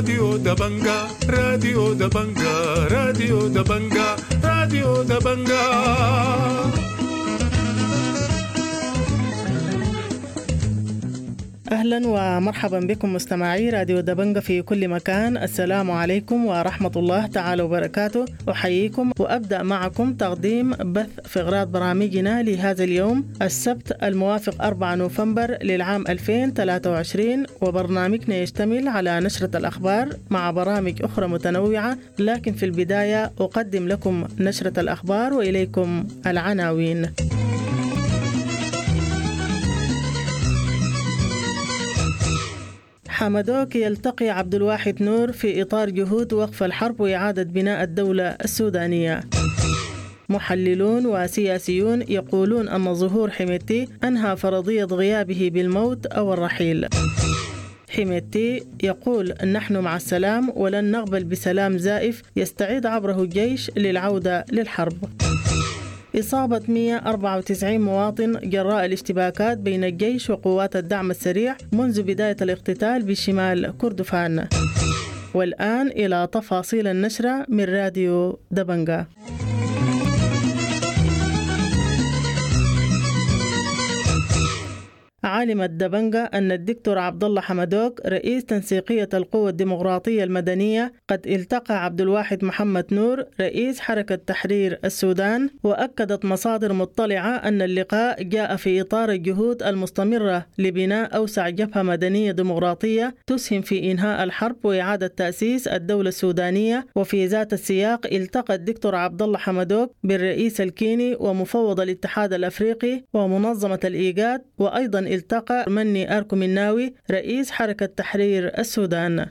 راديو دبنجا، راديو دبنجا، راديو دبنجا، راديو دبنجا. أهلا ومرحبا بكم مستمعي راديو دبنجة في كل مكان. السلام عليكم ورحمة الله تعالى وبركاته. أحييكم وأبدأ معكم تقديم بث فقرات برامجنا لهذا اليوم السبت الموافق 4 نوفمبر للعام 2023، وبرنامجنا يشتمل على نشرة الأخبار مع برامج أخرى متنوعة، لكن في البداية أقدم لكم نشرة الأخبار وإليكم العناوين. حمدوك يلتقي عبد الواحد نور في إطار جهود وقف الحرب وإعادة بناء الدولة السودانية. محللون وسياسيون يقولون أن ظهور حميدتي أنهى فرضية غيابه بالموت أو الرحيل. حميدتي يقول نحن مع السلام ولن نقبل بسلام زائف يستعيد عبره الجيش للعودة للحرب. إصابة 194 مواطن جراء الاشتباكات بين الجيش وقوات الدعم السريع منذ بداية الاقتتال بشمال كردفان. والآن إلى تفاصيل النشرة من راديو دبنجا. علمت دبنجة أن الدكتور عبد الله حمدوك رئيس تنسيقية القوى الديمقراطية المدنية قد التقى عبد الواحد محمد نور رئيس حركة تحرير السودان، وأكدت مصادر مطلعة أن اللقاء جاء في إطار الجهود المستمرة لبناء أوسع جبهة مدنية ديمقراطية تسهم في إنهاء الحرب وإعادة تأسيس الدولة السودانية. وفي ذات السياق التقى الدكتور عبد الله حمدوك بالرئيس الكيني ومفوض الاتحاد الأفريقي ومنظمة الإيجاد، وأيضا التقى مني أركو مناوي رئيس حركة تحرير السودان.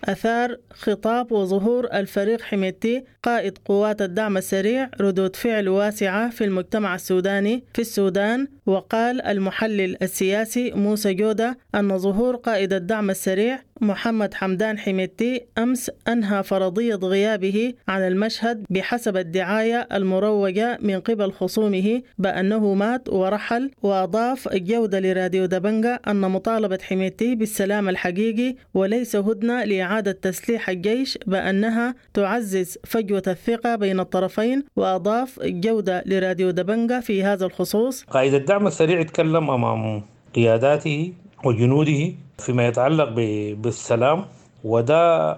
أثار خطاب وظهور الفريق حميدتي قائد قوات الدعم السريع ردود فعل واسعة في المجتمع السوداني في السودان، وقال المحلل السياسي موسى جودة أن ظهور قائد الدعم السريع محمد حمدان حميدتي أمس أنهى فرضية غيابه عن المشهد بحسب الدعاية المروجة من قبل خصومه بأنه مات ورحل. وأضاف جودة لراديو دبنجة أن مطالبة حميدتي بالسلام الحقيقي وليس هدنة لإعادة تسليح الجيش بأنها تعزز فجوة الثقة بين الطرفين. وأضاف جودة لراديو دبنجة في هذا الخصوص: قائد الدعم السريع يتكلم أمام قياداته وجنوده فيما يتعلق بالسلام، وده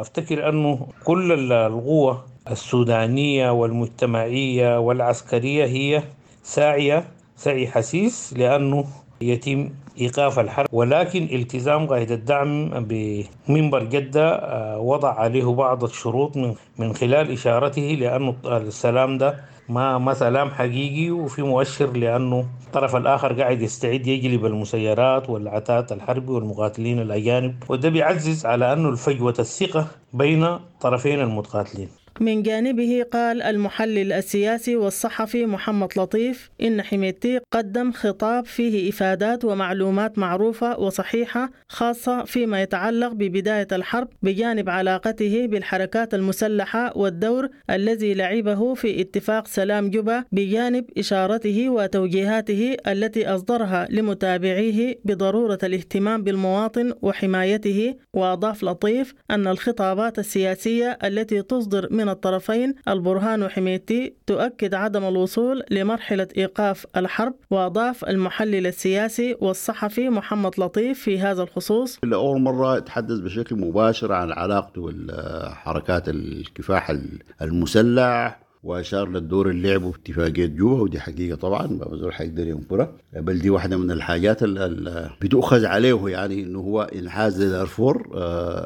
افتكر انه كل القوة السودانية والمجتمعية والعسكرية هي ساعية سعي حسيس لأنه يتم إيقاف الحرب، ولكن التزام قائد الدعم بمنبر جدة وضع عليه بعض الشروط من خلال إشارته لأنه السلام ده ما سلام حقيقي، وفي مؤشر لأنه الطرف الآخر قاعد يستعد يجلب المسيرات والعتاد الحربي والمقاتلين الأجانب، وده بيعزز على أنه الفجوة الثقة بين طرفين المتقاتلين. من جانبه قال المحلل السياسي والصحفي محمد لطيف إن حميدتي قدم خطاب فيه إفادات ومعلومات معروفة وصحيحة خاصة فيما يتعلق ببداية الحرب، بجانب علاقته بالحركات المسلحة والدور الذي لعبه في اتفاق سلام جوبا، بجانب إشارته وتوجيهاته التي أصدرها لمتابعيه بضرورة الاهتمام بالمواطن وحمايته. وأضاف لطيف أن الخطابات السياسية التي تصدر من الطرفين البرهان وحميدتي تؤكد عدم الوصول لمرحلة إيقاف الحرب. وأضاف المحلل السياسي والصحفي محمد لطيف في هذا الخصوص: لأول مرة تحدث بشكل مباشر عن علاقته بالحركات الكفاح المسلح، وأشار للدور اللي لعبه في اتفاقية جوبا، ودي حقيقة طبعا ما زول حيقدر ينكرها، بل دي واحدة من الحاجات اللي بتؤخذ عليه، يعني إنه هو إنحاز لدارفور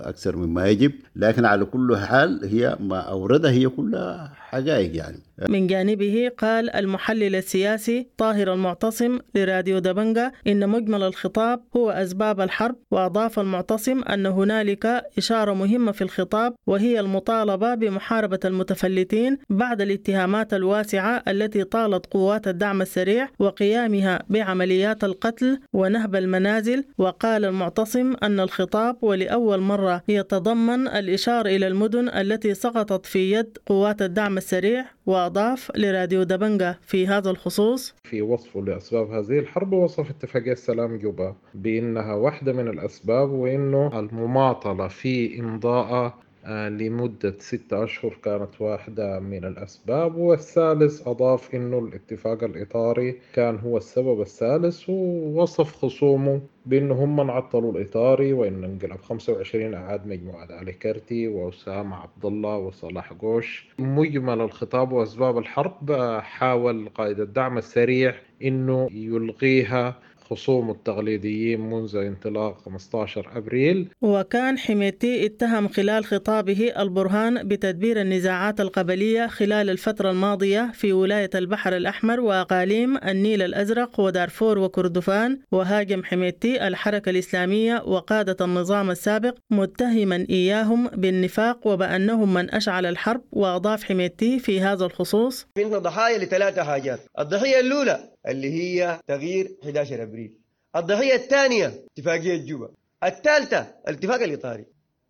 أكثر مما يجب، لكن على كل حال هي ما أوردها هي كلها حقائق يعني. من جانبه قال المحلل السياسي طاهر المعتصم لراديو دبنجة إن مجمل الخطاب هو أسباب الحرب. وأضاف المعتصم أن هنالك إشارة مهمة في الخطاب وهي المطالبة بمحاربة المتفلتين بعد الاتهامات الواسعة التي طالت قوات الدعم السريع وقيامها بعمليات القتل ونهب المنازل. وقال المعتصم أن الخطاب ولأول مرة يتضمن الإشارة إلى المدن التي سقطت في يد قوات الدعم السريع. وأضاف لراديو دبنجة في هذا الخصوص: في وصفه لأسباب هذه الحرب وصف اتفاقية سلام جوبا بأنها واحدة من الأسباب، وأنه المماطلة في إمضاء لمدة 6 أشهر كانت واحدة من الأسباب. والثالث أضاف أنه الاتفاق الإطاري كان هو السبب الثالث، ووصف خصومه بأنه هم من عطلوا الإطاري، وأن انقلاب 25 أعاد مجموعة علي كرتي وأسامة عبد الله وصلاح قوش. مجمل الخطاب وأسباب الحرب حاول قائد الدعم السريع أنه يلغيها خصوم التقليديين منذ انطلاق 15 أبريل. وكان حميدتي اتهم خلال خطابه البرهان بتدبير النزاعات القبلية خلال الفترة الماضية في ولاية البحر الأحمر وأقاليم النيل الأزرق ودارفور وكردفان. وهاجم حميدتي الحركة الإسلامية وقادة النظام السابق متهما إياهم بالنفاق وبأنهم من أشعل الحرب. وأضاف حميدتي في هذا الخصوص: إحنا ضحايا لثلاثة حاجات، الضحية الأولى اللي هي تغيير 11 أبريل، الضحية الثانية اتفاقية جوبا، الثالثة الاتفاق الإطاري.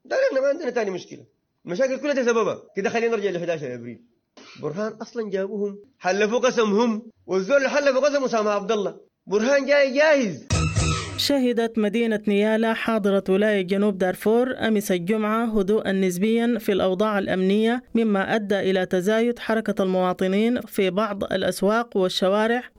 ده احنا ما عندنا ثاني مشكلة، المشاكل كلها تسببها كده. خلينا نرجع ل 11 أبريل. برهان أصلا جابوهم حلفوا قسمهم، والزول اللي حلفوا قسم أسامة عبد الله، برهان جاي جاهز. شهدت مدينة نيالا حاضرة ولاية جنوب دارفور أمس الجمعة هدوءا نسبيا في الأوضاع الأمنية، مما أدى إلى تزايد حركة المواطنين في بعض الأسواق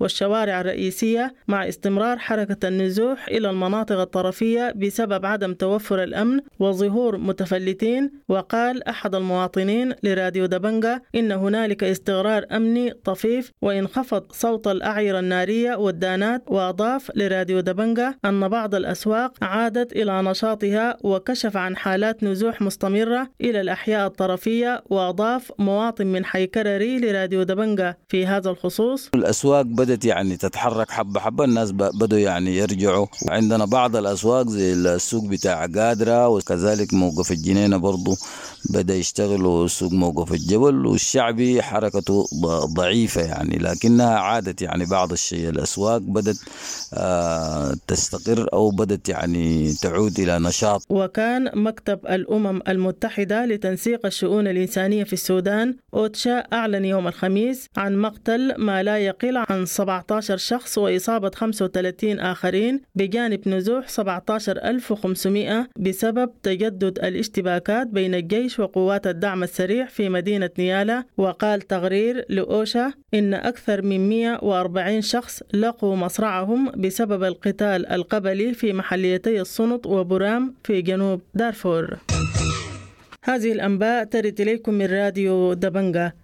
والشوارع الرئيسية، مع استمرار حركة النزوح إلى المناطق الطرفية بسبب عدم توفر الأمن وظهور متفلتين. وقال أحد المواطنين لراديو دبنجة إن هنالك استقرار أمني طفيف وانخفض صوت الأعيرة النارية والدانات. وأضاف لراديو دبنجة أن بعض الأسواق عادت إلى نشاطها وكشف عن حالات نزوح مستمرة إلى الأحياء الطرفية. وأضاف مواطن من حي كرري لراديو دبنجة في هذا الخصوص: الأسواق بدأت يعني تتحرك حبة حبة، الناس بدأوا يعني يرجعوا. عندنا بعض الأسواق زي السوق بتاع قادرة، وكذلك موقف الجنينة برضو بدأ يشتغل، وسوق موقف الجبل، والشعبي حركته ضعيفة يعني، لكنها عادت يعني بعض الشيء. الأسواق بدأت تستقر أو بدأت يعني تعود إلى نشاط. وكان مكتب الأمم المتحدة لتنسيق الشؤون الإنسانية في السودان أوتشا أعلن يوم الخميس عن مقتل ما لا يقل عن 17 شخص وإصابة 35 آخرين، بجانب نزوح 17500 بسبب تجدد الاشتباكات بين الجيش وقوات الدعم السريع في مدينة نيالا. وقال تقرير لأوشا إن أكثر من 140 شخص لقوا مصرعهم بسبب القتال القبلي في محليتي السنط وبرام في جنوب دارفور. هذه الأنباء ترد إليكم من راديو دبنجة.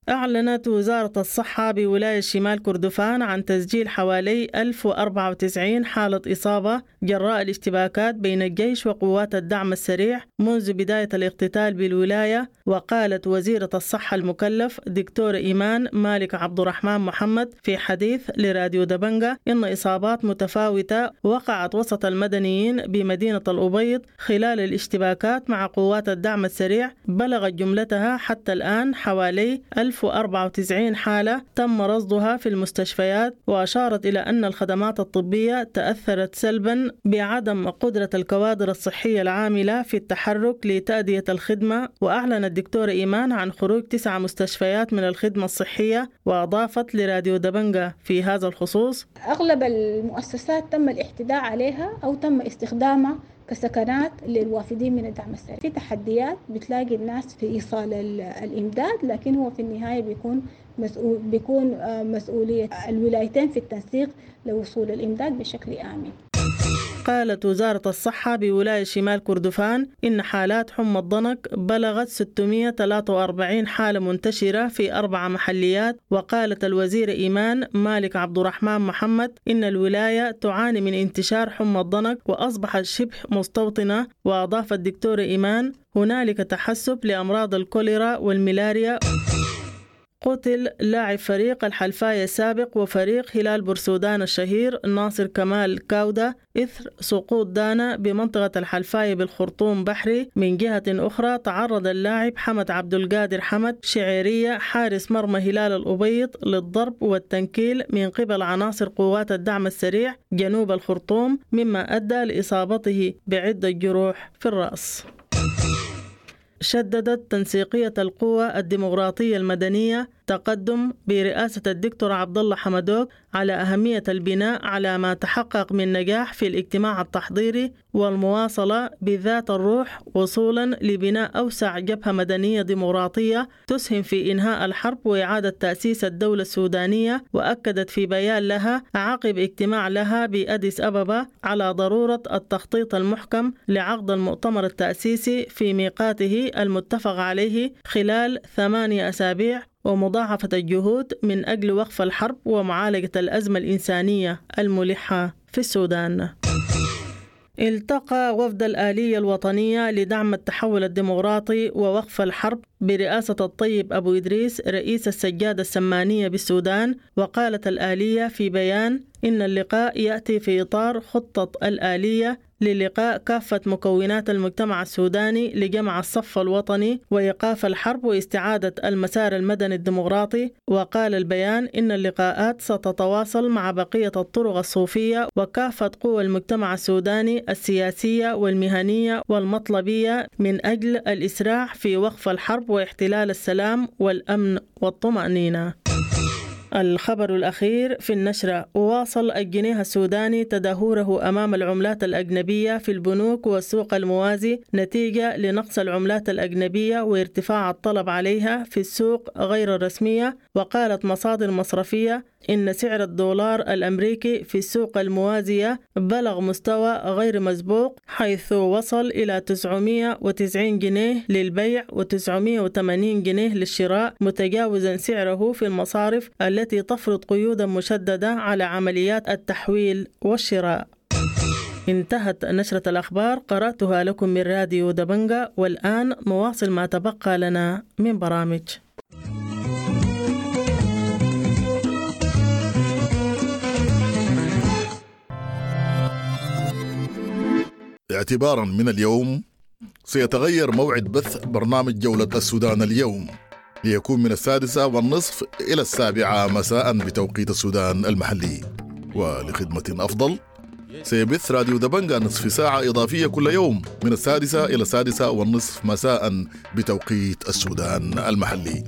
أعلنت وزارة الصحة بولاية شمال كردفان عن تسجيل حوالي 1094 حالة إصابة جراء الاشتباكات بين الجيش وقوات الدعم السريع منذ بداية الاقتتال بالولاية. وقالت وزيرة الصحة المكلف دكتور إيمان مالك عبد الرحمن محمد في حديث لراديو دبنجة إن إصابات متفاوتة وقعت وسط المدنيين بمدينة الأبيض خلال الاشتباكات مع قوات الدعم السريع بلغت جملتها حتى الآن حوالي 1094 حالة تم رصدها في المستشفيات. وأشارت إلى أن الخدمات الطبية تأثرت سلبا بعدم قدرة الكوادر الصحية العاملة في التحرك لتأدية الخدمة. وأعلن الدكتور إيمان عن خروج 9 مستشفيات من الخدمة الصحية. وأضافت لراديو دبنجة في هذا الخصوص: أغلب المؤسسات تم الاعتداء عليها أو تم استخدامها كسكنات للوافدين من الدعم السريع. في تحديات بتلاقي الناس في إيصال الإمداد، لكن هو في النهاية بيكون مسؤولية الولايتين في التنسيق لوصول الإمداد بشكل آمن. قالت وزارة الصحة بولاية شمال كردفان إن حالات حمى الضنك بلغت 643 حالة منتشرة في 4 محليات. وقالت الوزيرة إيمان مالك عبد الرحمن محمد إن الولاية تعاني من انتشار حمى الضنك وأصبحت شبه مستوطنة. وأضاف الدكتور إيمان هنالك تحسب لأمراض الكوليرا والملاريا. قتل لاعب فريق الحلفاية السابق وفريق هلال بورسودان الشهير ناصر كمال كاودا إثر سقوط دانا بمنطقة الحلفاية بالخرطوم بحري. من جهة أخرى تعرض اللاعب حمد عبد القادر حمد شعيرية حارس مرمى هلال الأبيض للضرب والتنكيل من قبل عناصر قوات الدعم السريع جنوب الخرطوم، مما أدى لإصابته بعدة جروح في الرأس. شددت تنسيقية القوى الديمقراطية المدنية تقدم برئاسة الدكتور عبد الله حمدوك على أهمية البناء على ما تحقق من نجاح في الاجتماع التحضيري والمواصلة بذات الروح وصولا لبناء أوسع جبهة مدنية ديمقراطية تسهم في إنهاء الحرب وإعادة تأسيس الدولة السودانية. وأكدت في بيان لها عقب اجتماع لها بأديس أبابا على ضرورة التخطيط المحكم لعقد المؤتمر التأسيسي في ميقاته المتفق عليه خلال 8 أسابيع ومضاعفة الجهود من أجل وقف الحرب ومعالجة الأزمة الإنسانية الملحة في السودان. التقى وفد الآلية الوطنية لدعم التحول الديمقراطي ووقف الحرب برئاسة الطيب أبو إدريس رئيس السجادة السمانية بالسودان. وقالت الآلية في بيان إن اللقاء يأتي في إطار خطة الآلية للقاء كافة مكونات المجتمع السوداني لجمع الصف الوطني وإيقاف الحرب واستعادة المسار المدني الديمقراطي. وقال البيان إن اللقاءات ستتواصل مع بقية الطرق الصوفية وكافة قوى المجتمع السوداني السياسية والمهنية والمطلبية من أجل الإسراع في وقف الحرب واحتلال السلام والأمن والطمأنينة. الخبر الأخير في النشرة: واصل الجنيه السوداني تدهوره أمام العملات الأجنبية في البنوك والسوق الموازي نتيجة لنقص العملات الأجنبية وارتفاع الطلب عليها في السوق غير الرسمية. وقالت مصادر مصرفية إن سعر الدولار الأمريكي في السوق الموازية بلغ مستوى غير مسبوق، حيث وصل إلى 990 جنيه للبيع و980 جنيه للشراء، متجاوزا سعره في المصارف التي تفرض قيودا مشددة على عمليات التحويل والشراء. انتهت نشرة الأخبار، قرأتها لكم من راديو دبنجا، والآن نواصل ما تبقى لنا من برامج. اعتبارا من اليوم سيتغير موعد بث برنامج جولة السودان اليوم ليكون من 6:30 إلى 7 مساء بتوقيت السودان المحلي. ولخدمة أفضل سيبث راديو دبنجا نصف ساعة إضافية كل يوم من 6 إلى 6:30 مساء بتوقيت السودان المحلي.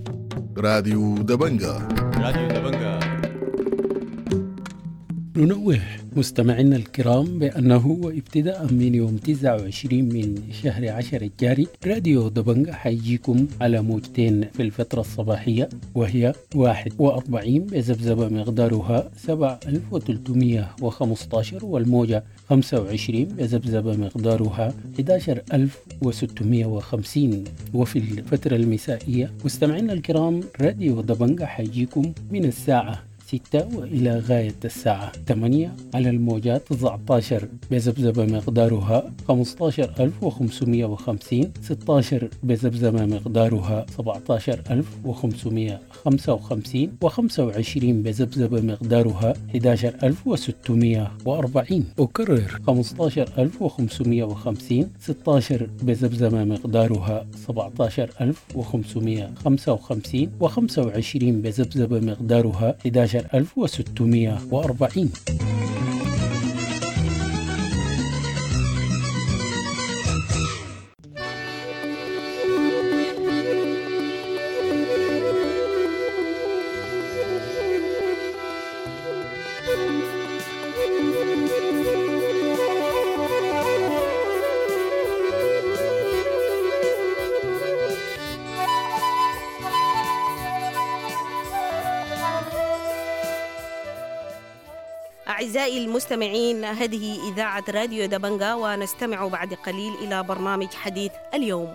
راديو دبنجا، راديو دبنجا. ننوه مستمعينا الكرام بأنه وابتداء من يوم 29 من شهر 10 الجاري راديو دبنجا حيجيكم على موجتين في الفترة الصباحية، وهي 41 بذبذبة مقدارها 7315، والموجة 25 بذبذبة مقدارها 11650. وفي الفترة المسائية مستمعينا الكرام راديو دبنجا حيجيكم من الساعة 6 وإلى غاية الساعة 8 على الموجات 19 بذبذبة مقدارها 15550، 16 بذبذبة مقدارها 17555، و25 بذبذبة مقدارها 11640. أكرر 15550، 16 بذبذبة مقدارها 17555، و25 بذبذبة مقدارها 11640. أعزائي المستمعين، هذه إذاعة راديو دبنجا، ونستمع بعد قليل إلى برنامج حديث اليوم.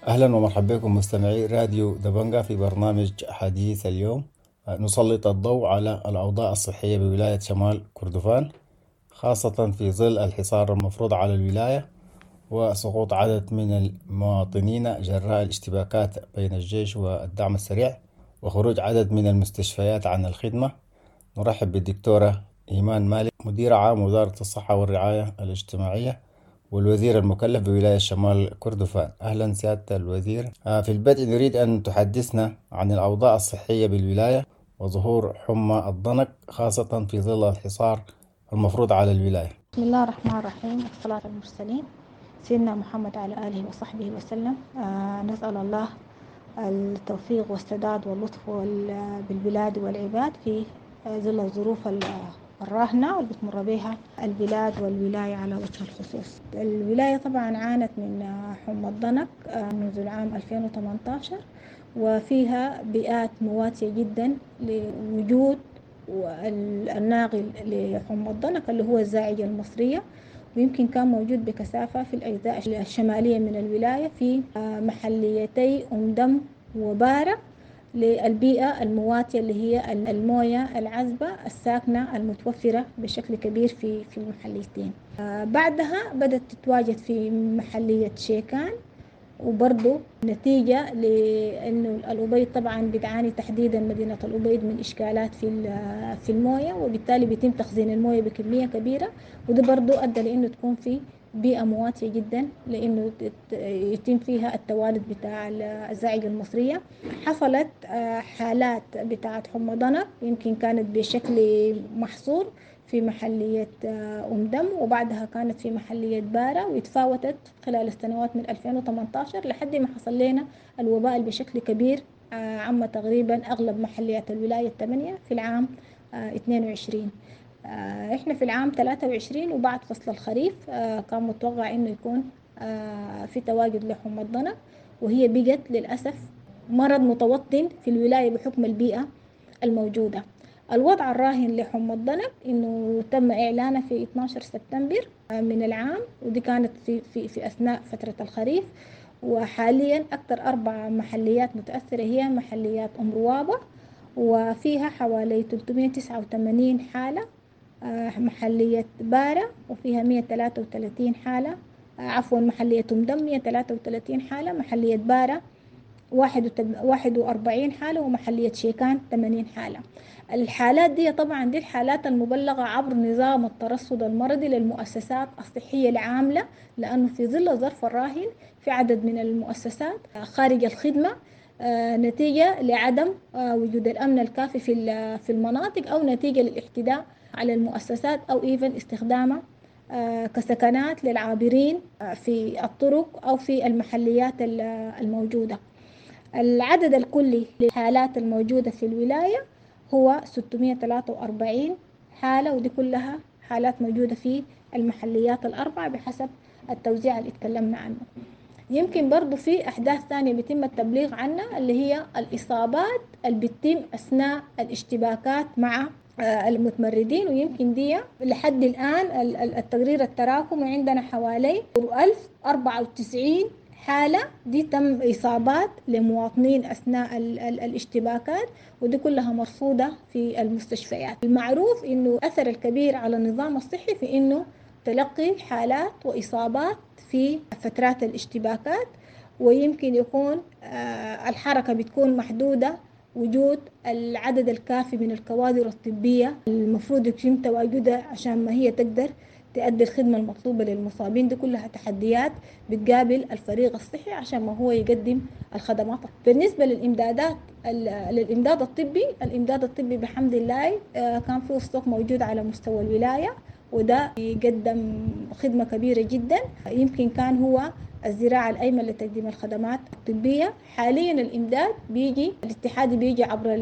أهلا ومرحبا بكم مستمعي راديو دبنجا في برنامج حديث اليوم. نسلط الضوء على الأوضاع الصحية بولاية شمال كردفان، خاصة في ظل الحصار المفروض على الولاية وسقوط عدد من المواطنين جراء الاشتباكات بين الجيش والدعم السريع وخروج عدد من المستشفيات عن الخدمة. نرحب بالدكتورة إيمان مالك، مدير عام وزارة الصحة والرعاية الاجتماعية والوزير المكلف بولاية شمال كردفان. أهلا سيادة الوزير. في البدء نريد أن تحدثنا عن الأوضاع الصحية بالولاية وظهور حمى الضنك، خاصة في ظل الحصار المفروض على الولاية. بسم الله الرحمن الرحيم، والصلاة على المرسلين سيدنا محمد على آله وصحبه وسلم. نسأل الله التوفيق والسداد واللطف بالبلاد والعباد في ظل الظروف الراهنة واللي بتمر بها البلاد والولاية على وجه الخصوص. الولاية طبعا عانت من حمى الضنك منذ العام 2018، وفيها بيئات مواتية جدا لوجود الناقل لحمى الضنك اللي هو الزاعجة المصرية، ويمكن كان موجود بكثافة في الأجزاء الشمالية من الولاية في محليتي أم دم وبارة، للبيئة المواتية اللي هي الموية العذبة الساكنة المتوفرة بشكل كبير في المحليتين. بعدها بدأت تتواجد في محلية شيكان، وبرضو نتيجة لأنه الأبيض طبعا بتعاني تحديدا مدينة الأبيض من إشكالات في الموية، وبالتالي بيتم تخزين الموية بكمية كبيرة، وده برضو أدى لأنه تكون في بيئة مواتية جدا لأنه يتم فيها التوالد بتاع الزاعجة المصرية. حصلت حالات بتاعة حمى ضنك يمكن كانت بشكل محصور في محلية أم دم، وبعدها كانت في محلية بارة، وتفاوتت خلال السنوات من 2018 لحد ما حصل لنا الوباء بشكل كبير عم تقريبا أغلب محليات الولاية 8 في العام 22. إحنا في العام 23 وبعد فصل الخريف كان متوقع إنه يكون في تواجد لحمى الضنك، وهي بقت للأسف مرض متوطن في الولاية بحكم البيئة الموجودة. الوضع الراهن لحمى الضنك إنه تم إعلانه في 12 سبتمبر من العام، ودي كانت في في في أثناء فترة الخريف. وحاليا أكثر 4 محليات متأثرة هي محليات أم روابة، وفيها حوالي 389 حالة، محلية بارة وفيها 133 حالة، عفوا محلية أم دم 133 حالة، محلية بارة 41 حالة، ومحلية شيكان 80 حالة. الحالات دي طبعا دي الحالات المبلغة عبر نظام الترصد المرضي للمؤسسات الصحية العاملة، لأنه في ظل الظرف الراهن في عدد من المؤسسات خارج الخدمة نتيجة لعدم وجود الأمن الكافي في المناطق، أو نتيجة للاعتداء على المؤسسات، أو إيفن استخدامها كسكنات للعابرين في الطرق أو في المحليات الموجودة. العدد الكلي للحالات الموجودة في الولاية هو 643 حالة، ودي كلها حالات موجودة في المحليات 4 بحسب التوزيع اللي اتكلمنا عنه. يمكن برضو في أحداث ثانية بيتم التبليغ عنها اللي هي الإصابات اللي بتتم أثناء الاشتباكات مع المتمردين، ويمكن دي لحد الآن التقرير التراكمي عندنا حوالي 1094 حالة دي تم إصابات لمواطنين أثناء الاشتباكات، ودي كلها مرصودة في المستشفيات. المعروف إنه أثر الكبير على النظام الصحي في إنه تلقي حالات وإصابات في فترات الاشتباكات، ويمكن يكون الحركة بتكون محدودة، وجود العدد الكافي من الكوادر الطبية المفروض يتم تواجدها عشان ما هي تقدر تؤدي الخدمة المطلوبة للمصابين. دي كلها تحديات بتقابل الفريق الصحي عشان ما هو يقدم الخدمات. بالنسبة للإمدادات للإمداد الطبي، الإمداد الطبي بحمد الله كان فيه ستوك موجود على مستوى الولاية، وده يقدم خدمة كبيرة جدا. يمكن كان هو الذراع الأيمن لتقديم الخدمات الطبية. حاليا الإمداد بيجي الاتحادي بيجي عبر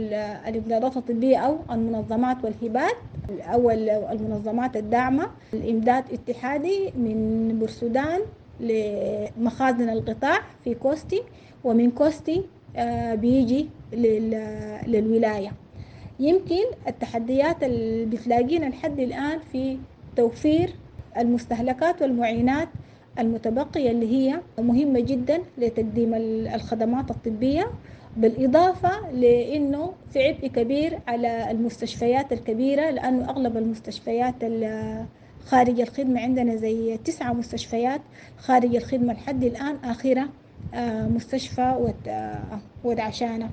الإمدادات الطبية أو المنظمات والهبات أو المنظمات الداعمة. الإمداد اتحادي من بورسودان لمخازن القطاع في كوستي، ومن كوستي بيجي للولاية. يمكن التحديات اللي بتلاقينا لحد الآن في توفير المستهلكات والمعينات المتبقية اللي هي مهمة جدا لتقديم الخدمات الطبية، بالإضافة لأنه في عبء كبير على المستشفيات الكبيرة، لأنه أغلب المستشفيات خارج الخدمة عندنا زي 9 مستشفيات خارج الخدمة لحد الآن، آخرة مستشفى ودعشانة.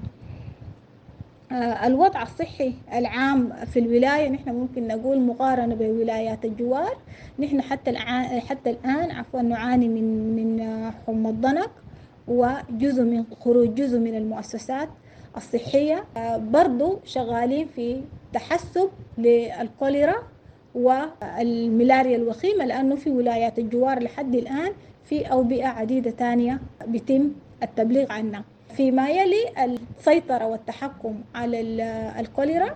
الوضع الصحي العام في الولاية نحن ممكن نقول مقارنة بولايات الجوار، نحن حتى الآن عفوا نعاني من حمى الضنك وجزء من خروج جزء من المؤسسات الصحية. برضو شغالين في تحسب للكوليرا والملاريا الوخيمة، لأنه في ولايات الجوار لحد الآن في أوبئة عديدة تانية بيتم التبليغ عنها. فيما يلي السيطرة والتحكم على الكوليرا،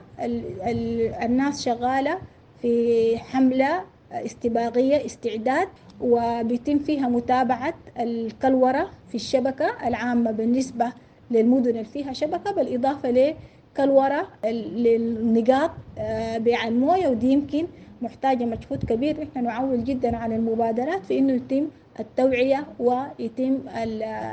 الناس شغالة في حملة استباقية استعداد، وبيتم فيها متابعة الكلورة في الشبكة العامة بالنسبة للمدن اللي فيها شبكة، بالإضافة لكلورة للنقاط بيع الموية، ودي يمكن محتاجة مجهود كبير. نحن نعول جدا على المبادرات في إنه يتم التوعية ويتم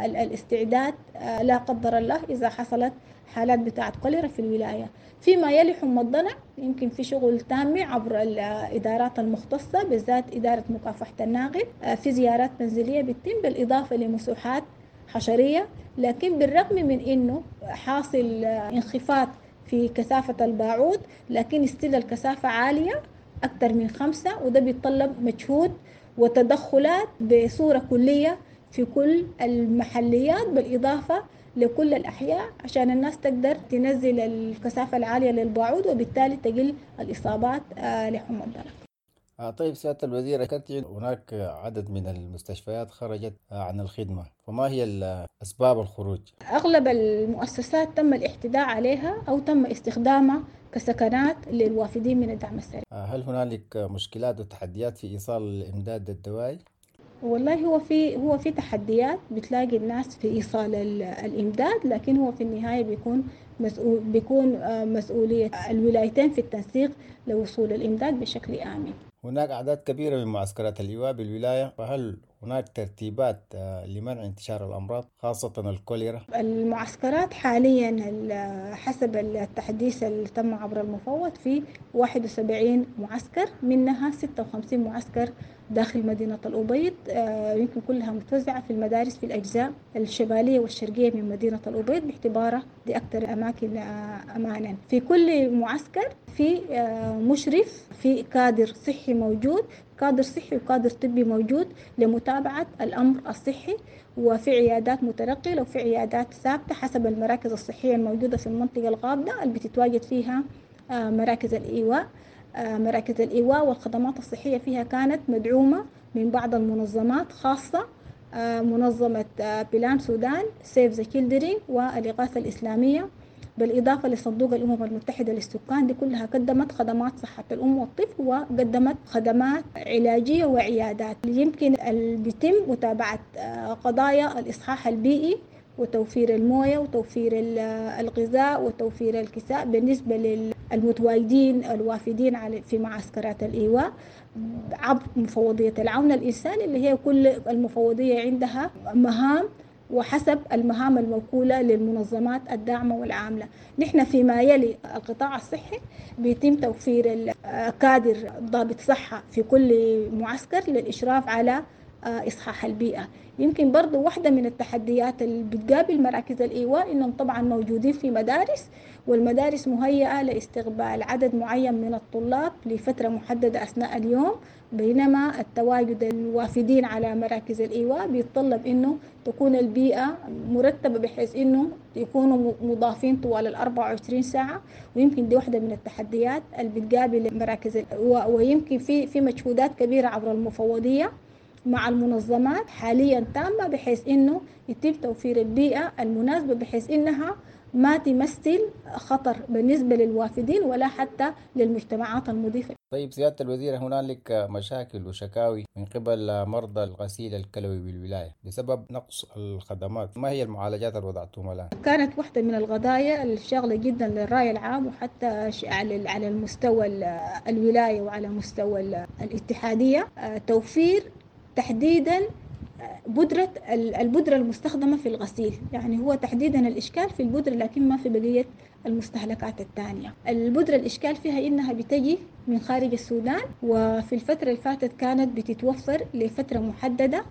الاستعداد لا قدر الله إذا حصلت حالات بتاعة كوليرا في الولاية. فيما يلي حمى الضنك يمكن في شغل تام عبر الإدارات المختصة، بالذات إدارة مكافحة الناقل، في زيارات منزلية بتتم بالإضافة لمسوحات حشرية. لكن بالرغم من إنه حاصل انخفاض في كثافة الباعوض، لكن استيل الكثافة عالية أكثر من 5، وده بيتطلب مجهود وتدخلات بصورة كلية في كل المحليات بالإضافة لكل الأحياء عشان الناس تقدر تنزل الكثافة العالية للباعوض وبالتالي تقل الإصابات لحمى الضنك. طيب سيادة الوزيرة، كانت هناك عدد من المستشفيات خرجت عن الخدمة، فما هي أسباب الخروج؟ أغلب المؤسسات تم الاعتداء عليها أو تم استخدامها كسكنات للوافدين من الدعم السريع. هل هنالك مشكلات وتحديات في إيصال الإمداد الدوائي؟ والله هو في تحديات بتلاقي الناس في إيصال الإمداد، لكن هو في النهاية بيكون مسؤولية الولايتين في التنسيق لوصول الإمداد بشكل آمن. هناك أعداد كبيرة من معسكرات الإيواء بالولاية، فهل هناك ترتيبات لمنع انتشار الأمراض خاصة الكوليرا؟ المعسكرات حاليا حسب التحديث اللي تم عبر المفوض في 71 معسكر، منها 56 معسكر داخل مدينة الأبيض، يمكن كلها متوزعة في المدارس في الأجزاء الشمالية والشرقية من مدينة الأبيض باعتبارها دي أكثر أماكن أمانا. في كل معسكر في مشرف، في كادر صحي موجود، كادر صحي وكادر طبي موجود لمتابعة الأمر الصحي، وفي عيادات متنقلة وفي عيادات ثابتة حسب المراكز الصحية الموجودة في المنطقة الغابة اللي بتتواجد فيها مراكز الإيواء. مراكز الإيواء والخدمات الصحية فيها كانت مدعومة من بعض المنظمات، خاصة منظمة بلان سودان، Save the Children، والإغاثة الإسلامية، بالإضافة لصندوق الأمم المتحدة للسكان. دي كلها قدمت خدمات صحة الأم والطفل وقدمت خدمات علاجية وعيادات. يمكن بيتم متابعة قضايا الإصحاح البيئي وتوفير الموية وتوفير الغذاء وتوفير الكساء بالنسبة للمتواجدين الوافدين في معسكرات الإيواء عبر مفوضية العون الإنساني، اللي هي كل المفوضية عندها مهام وحسب المهام الموكولة للمنظمات الداعمة والعاملة. نحن فيما يلي القطاع الصحي بيتم توفير كادر ضابط صحة في كل معسكر للإشراف على إصحاح البيئة. يمكن برضو واحدة من التحديات اللي بتقابل مراكز الإيواء إنهم طبعا موجودين في مدارس، والمدارس مهيئة لاستقبال عدد معين من الطلاب لفترة محددة أثناء اليوم، بينما التواجد الوافدين على مراكز الإيواء بيتطلب إنه تكون البيئة مرتبة بحيث إنه يكونوا مضافين طوال 24 ساعة. ويمكن دي واحدة من التحديات اللي بتقابل مراكز الإيواء، ويمكن في مجهودات كبيرة عبر المفوضية مع المنظمات حاليا تامة بحيث إنه يتم توفير البيئة المناسبة بحيث إنها ما تمثل خطر بالنسبة للوافدين ولا حتى للمجتمعات المضيفة. طيب سيادة الوزير، هنالك مشاكل وشكاوي من قبل مرضى الغسيل الكلوي بالولاية بسبب نقص الخدمات، ما هي المعالجات اللي وضعتم الآن؟ كانت واحدة من القضايا الشاغلة جدا للرأي العام وحتى على المستوى الولاية وعلى مستوى الاتحادية، توفير تحديدا البودرة المستخدمة في الغسيل. يعني هو تحديدا الإشكال في البودرة، لكن ما في بقية المستهلكات الثانية. البودرة الإشكال فيها إنها بتجي من خارج السودان، وفي الفترة اللي فاتت كانت بتتوفر لفترة محددة،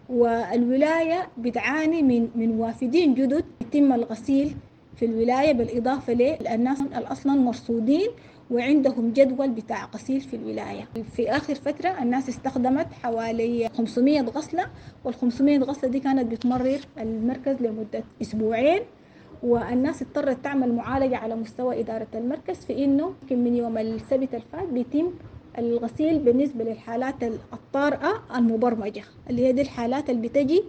والولاية بتعاني من وافدين جدد يتم الغسيل في الولاية، بالإضافة للناس الأصلا مرصودين وعندهم جدول بتاع غسيل في الولاية. في آخر فترة الناس استخدمت حوالي 500 غسلة، وال500 غسلة دي كانت بتمرر المركز لمدة أسبوعين، والناس اضطرت تعمل معالجة على مستوى إدارة المركز في إنه من يوم السبت الفات بيتم الغسيل بالنسبة للحالات الطارئة المبرمجة، اللي هي دي الحالات اللي بتجي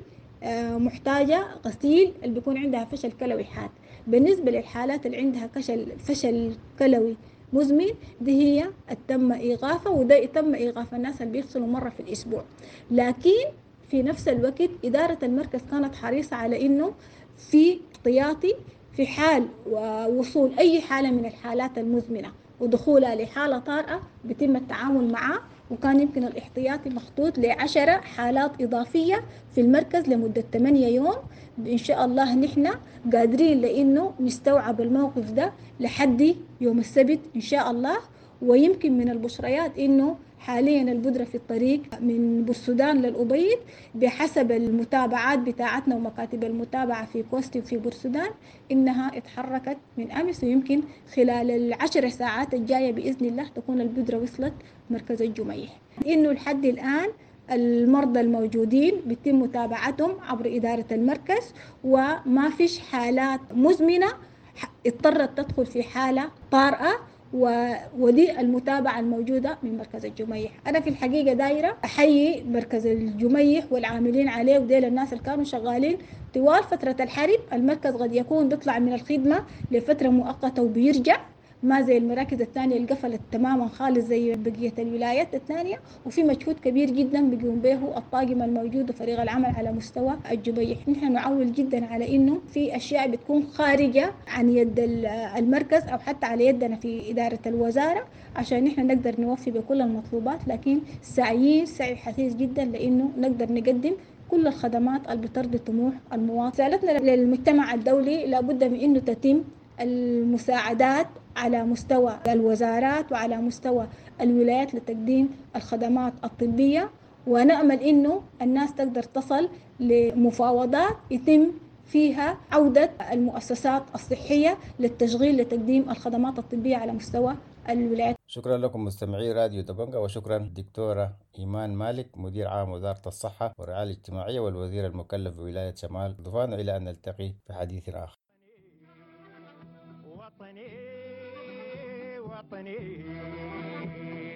محتاجة غسيل، اللي بيكون عندها فشل كلوي حاد. بالنسبة للحالات اللي عندها فشل كلوي مزمن، دي هي تم إيقافها، وده تم إيقاف الناس اللي بيغسلوا مرة في الأسبوع. لكن في نفس الوقت إدارة المركز كانت حريصة على إنه في احتياطي في حال وصول أي حالة من الحالات المزمنة ودخولها لحالة طارئة بيتم التعامل معه، وكان يمكن الاحتياطي مخطوط ل10 حالات إضافية في المركز لمدة 8 يوم. إن شاء الله نحن قادرين لأنه نستوعب الموقف ده لحد يوم السبت إن شاء الله. ويمكن من البشريات إنه حاليا البودرة في الطريق من بورسودان للأبيض بحسب المتابعات بتاعتنا ومكاتب المتابعة في كوستي وفي بورسودان إنها اتحركت من أمس، ويمكن خلال 10 ساعات الجاية بإذن الله تكون البودرة وصلت مركز الجميح. إنه لحد الآن المرضى الموجودين بيتم متابعتهم عبر إدارة المركز، وما فيش حالات مزمنة اضطرت تدخل في حالة طارئة، ودي المتابعة الموجودة من مركز الجميح. أنا في الحقيقة دايرة أحيي مركز الجميح والعاملين عليه، وديل الناس اللي كانوا شغالين طوال فترة الحرب. المركز قد يكون بيطلع من الخدمة لفترة مؤقتة وبيرجع، ما زي المراكز الثانية اللي قفلت تماما خالص زي بقية الولايات الثانية. وفي مجهود كبير جدا بيقوم به الطاقم الموجود وفريق العمل على مستوى الجبيح. نحن نعول جدا على انه في اشياء بتكون خارجة عن يد المركز او حتى على يدنا في ادارة الوزارة عشان نحن نقدر نوفي بكل المطلوبات، لكن سعيين سعي حثيث جدا لانه نقدر نقدم كل الخدمات اللي بترضي طموح المواطن. رسالتنا للمجتمع الدولي لابد من انه تتم المساعدات على مستوى الوزارات وعلى مستوى الولايات لتقديم الخدمات الطبية، ونأمل إنه الناس تقدر تصل لمفاوضات يتم فيها عودة المؤسسات الصحية للتشغيل لتقديم الخدمات الطبية على مستوى الولايات. شكرا لكم مستمعي راديو دبنجا، وشكرا دكتورة إيمان مالك مدير عام وزارة الصحة والرعاية الاجتماعية والوزير المكلف بولاية شمال كردفان. إلى أن نلتقي في حديث آخر. وطني وطني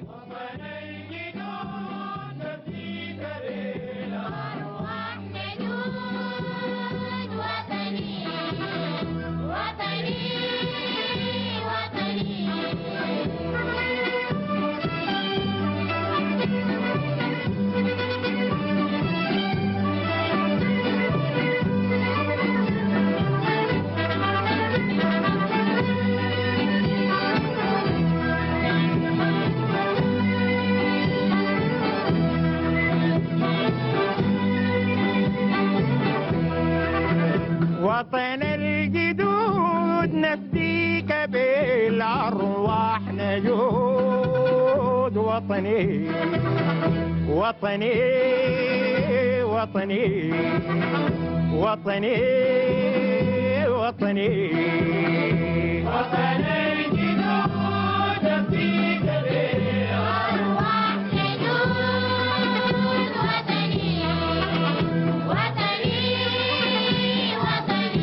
وطني جدود نفديك بالأرواح نجود. وطني وطني وطني وطن الجدود نفديك بالأرواح نجود. وطني وطني وطني وطني وطني وطن الجدود نفديك بالأرواح نجود. وطني وطني وطني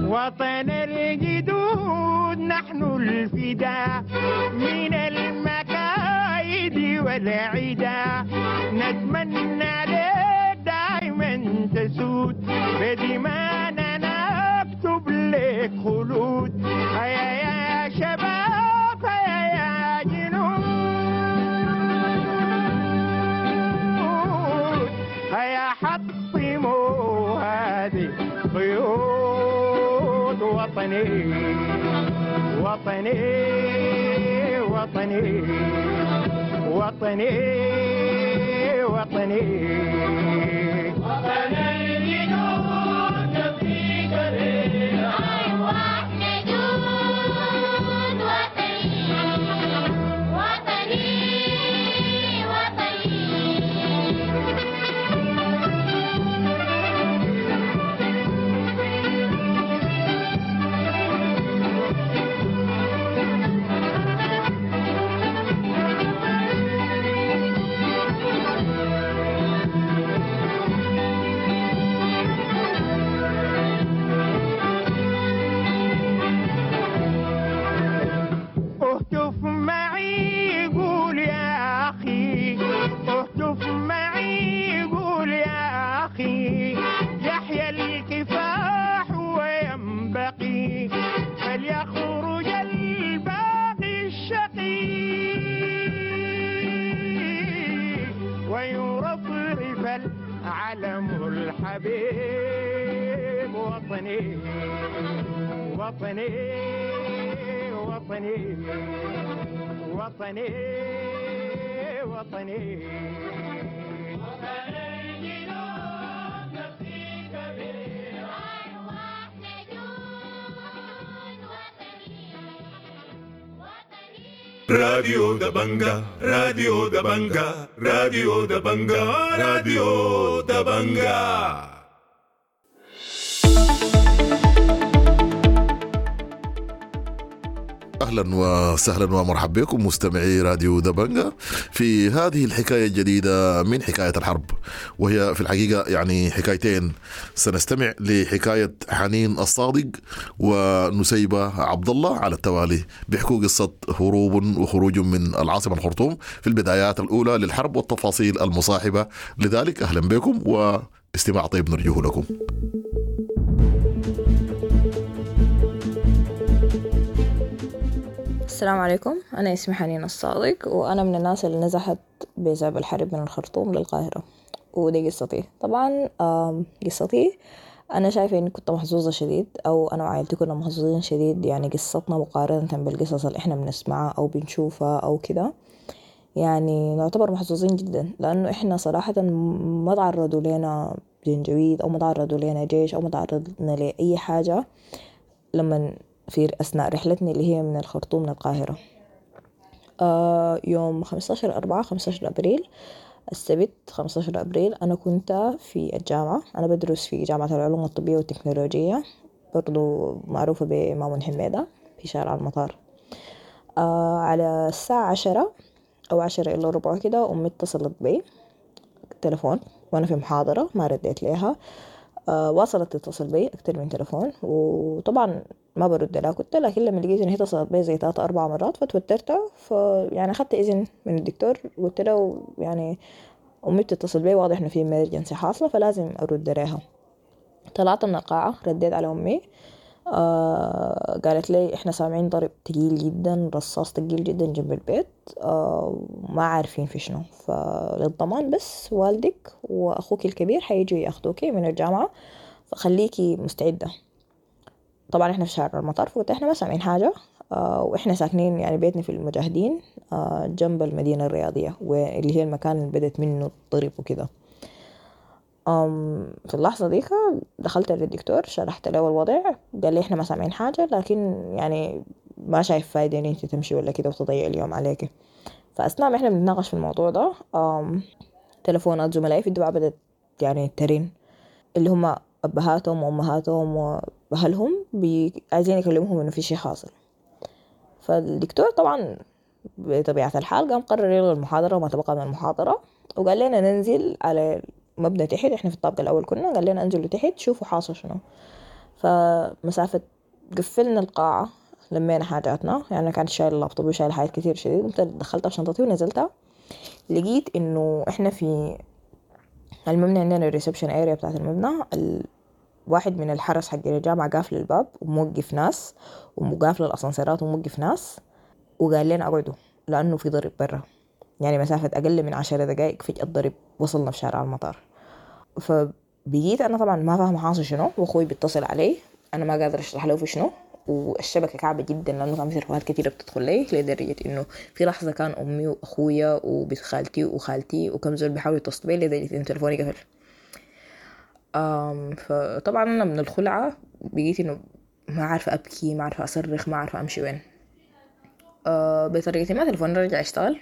وطن الجدود نحن الفداء من المكايد والعدا، نتمنى لك دائما تسود بدمانا نكتب لك خلود. هيا يا شباب هيا يا جنود، هيا حطموا هذه قيود. وطني وطني وطني. وطني وطني وطن الجدود نفديك أرواح نجود وطني وطني اهتف معي قول يا أخي، اهتف معي قول يا أخي، يحيا الكفاح وينبغي فليخرج الباغي الشقي ويرفرف العلم الحبيب. وطني وطني وطني وطني وطني راديو دبنجا، راديو دبنجا، راديو دبنجا، راديو دبنجا. اهلا وسهلا ومرحبا بكم مستمعي راديو دبنجا في هذه الحكاية الجديدة من حكاية الحرب، وهي في الحقيقة يعني حكايتين. سنستمع لحكاية حنين الصادق ونسيبه عبد الله على التوالي، بيحكوا قصة هروب وخروج من العاصمة الخرطوم في البدايات الاولى للحرب والتفاصيل المصاحبة لذلك. اهلا بكم واستماع طيب نرجوه لكم. السلام عليكم، أنا اسمي حنين الصادق، وأنا من الناس اللي نزحت بسبب الحرب من الخرطوم للقاهرة، ودي قصتي. طبعا قصتي أنا شايفة إني كنت محظوظة شديد، أو أنا وعائلتي كنا محظوظين شديد. يعني قصتنا مقارنة بالقصص اللي إحنا بنسمعها أو بنشوفها أو كده، يعني نعتبر محظوظين جدا، لأنه إحنا صراحة ما تعرضوا لنا جنجويد أو ما تعرضوا لنا جيش أو ما تعرضنا لأي حاجة لما في أثناء رحلتنا اللي هي من الخرطوم للقاهرة. يوم 15/4، 15 أبريل، السبت 15 أبريل، أنا كنت في الجامعة. أنا بدرس في جامعة العلوم الطبية والتكنولوجية، برضو معروفة بمامون حميدة، في شارع المطار. على الساعة 10 أو 9:45 كده، أمي اتصلت بي تلفون وأنا في محاضرة، ما رديت ليها. واصلت تتصل بي أكتر من تلفون، وطبعا ما برد لها كنت، لكن لما لقيت إن هي اتصلت بي زي 3 4 مرات فتوترت. فيعني أخدت إذن من الدكتور، قلت له يعني أمي بتتصل بي، واضح إنه في emergency حاصلة فلازم أرد لها. طلعت من القاعة، رديت على أمي. قالت لي إحنا سامعين ضرب تقيل جدا، رصاص تقيل جدا جنب البيت، ما عارفين في شنو، فللضمان بس والدك وأخوك الكبير حيجوا ياخدوكي من الجامعة، فخليكي مستعدة. طبعا إحنا في شارع المطار، فقلت إحنا ما سامعين حاجة، وإحنا ساكنين يعني بيتنا في المجاهدين، جنب المدينة الرياضية، واللي هي المكان اللي بدت منه الضرب وكده. في اللحظة ديك دخلت للدكتور، شرحت له الوضع، قال لي إحنا ما سامعين حاجة، لكن يعني ما شايف فايدة إن أنت تمشي ولا كده وتضيع اليوم عليك. فأثناء ما إحنا بنتناقش في الموضوع ده، تلفونات زملائي في الدفعة بدأت يعني ترن، اللي هم أبهاتهم وأمهاتهم وأهلهم عايزين يكلموهم إنه في شي حاصل. فالدكتور طبعا بطبيعة الحال قام قرر يلغي المحاضرة وما تبقى من المحاضرة، وقال لنا ننزل على مبنى تحت، احنا في الطابق الأول كنا، قال لنا انزلوا تحت شوفوا حاصل شنو. فمسافة قفلنا القاعة، لمينا حاجاتنا، يعني أنا كانت شايلة اللابتوب وشايلة حاجات كتير شديد، قمت دخلتها في شنطتي ونزلتها، لقيت إنه إحنا في المبنى عندنا ال reception area بتاعت المبنى، واحد من الحرس حق الجامعة قافل الباب وموقف ناس، وقافل الأسانسيرات وموقف ناس، وقال لنا اقعدوا لأنه في ضرب برا. يعني مسافة أقل من 10 دقايق فجأة الضرب وصلنا في شارع المطار. فبقيت أنا طبعا ما فاهمة حاصل شنو، وأخوي بيتصل علي، أنا ما قادرة أشرح له في شنو، والشبكة كعبة جدا لأنه كان في تليفونات كتيرة بتدخل لي، لدرجة إنه في لحظة كان أمي وأخويا وبنت خالتي وخالتي وكم زول بيحاولوا يتصلوا بي لدرجة إنه تليفوني قفل. فطبعا أنا من الخلعة بقيت إنه ما عارفة أبكي، ما عارفة أصرخ، ما عارفة أمشي وين. بطريقة ما تليفوني رجع يشتغل.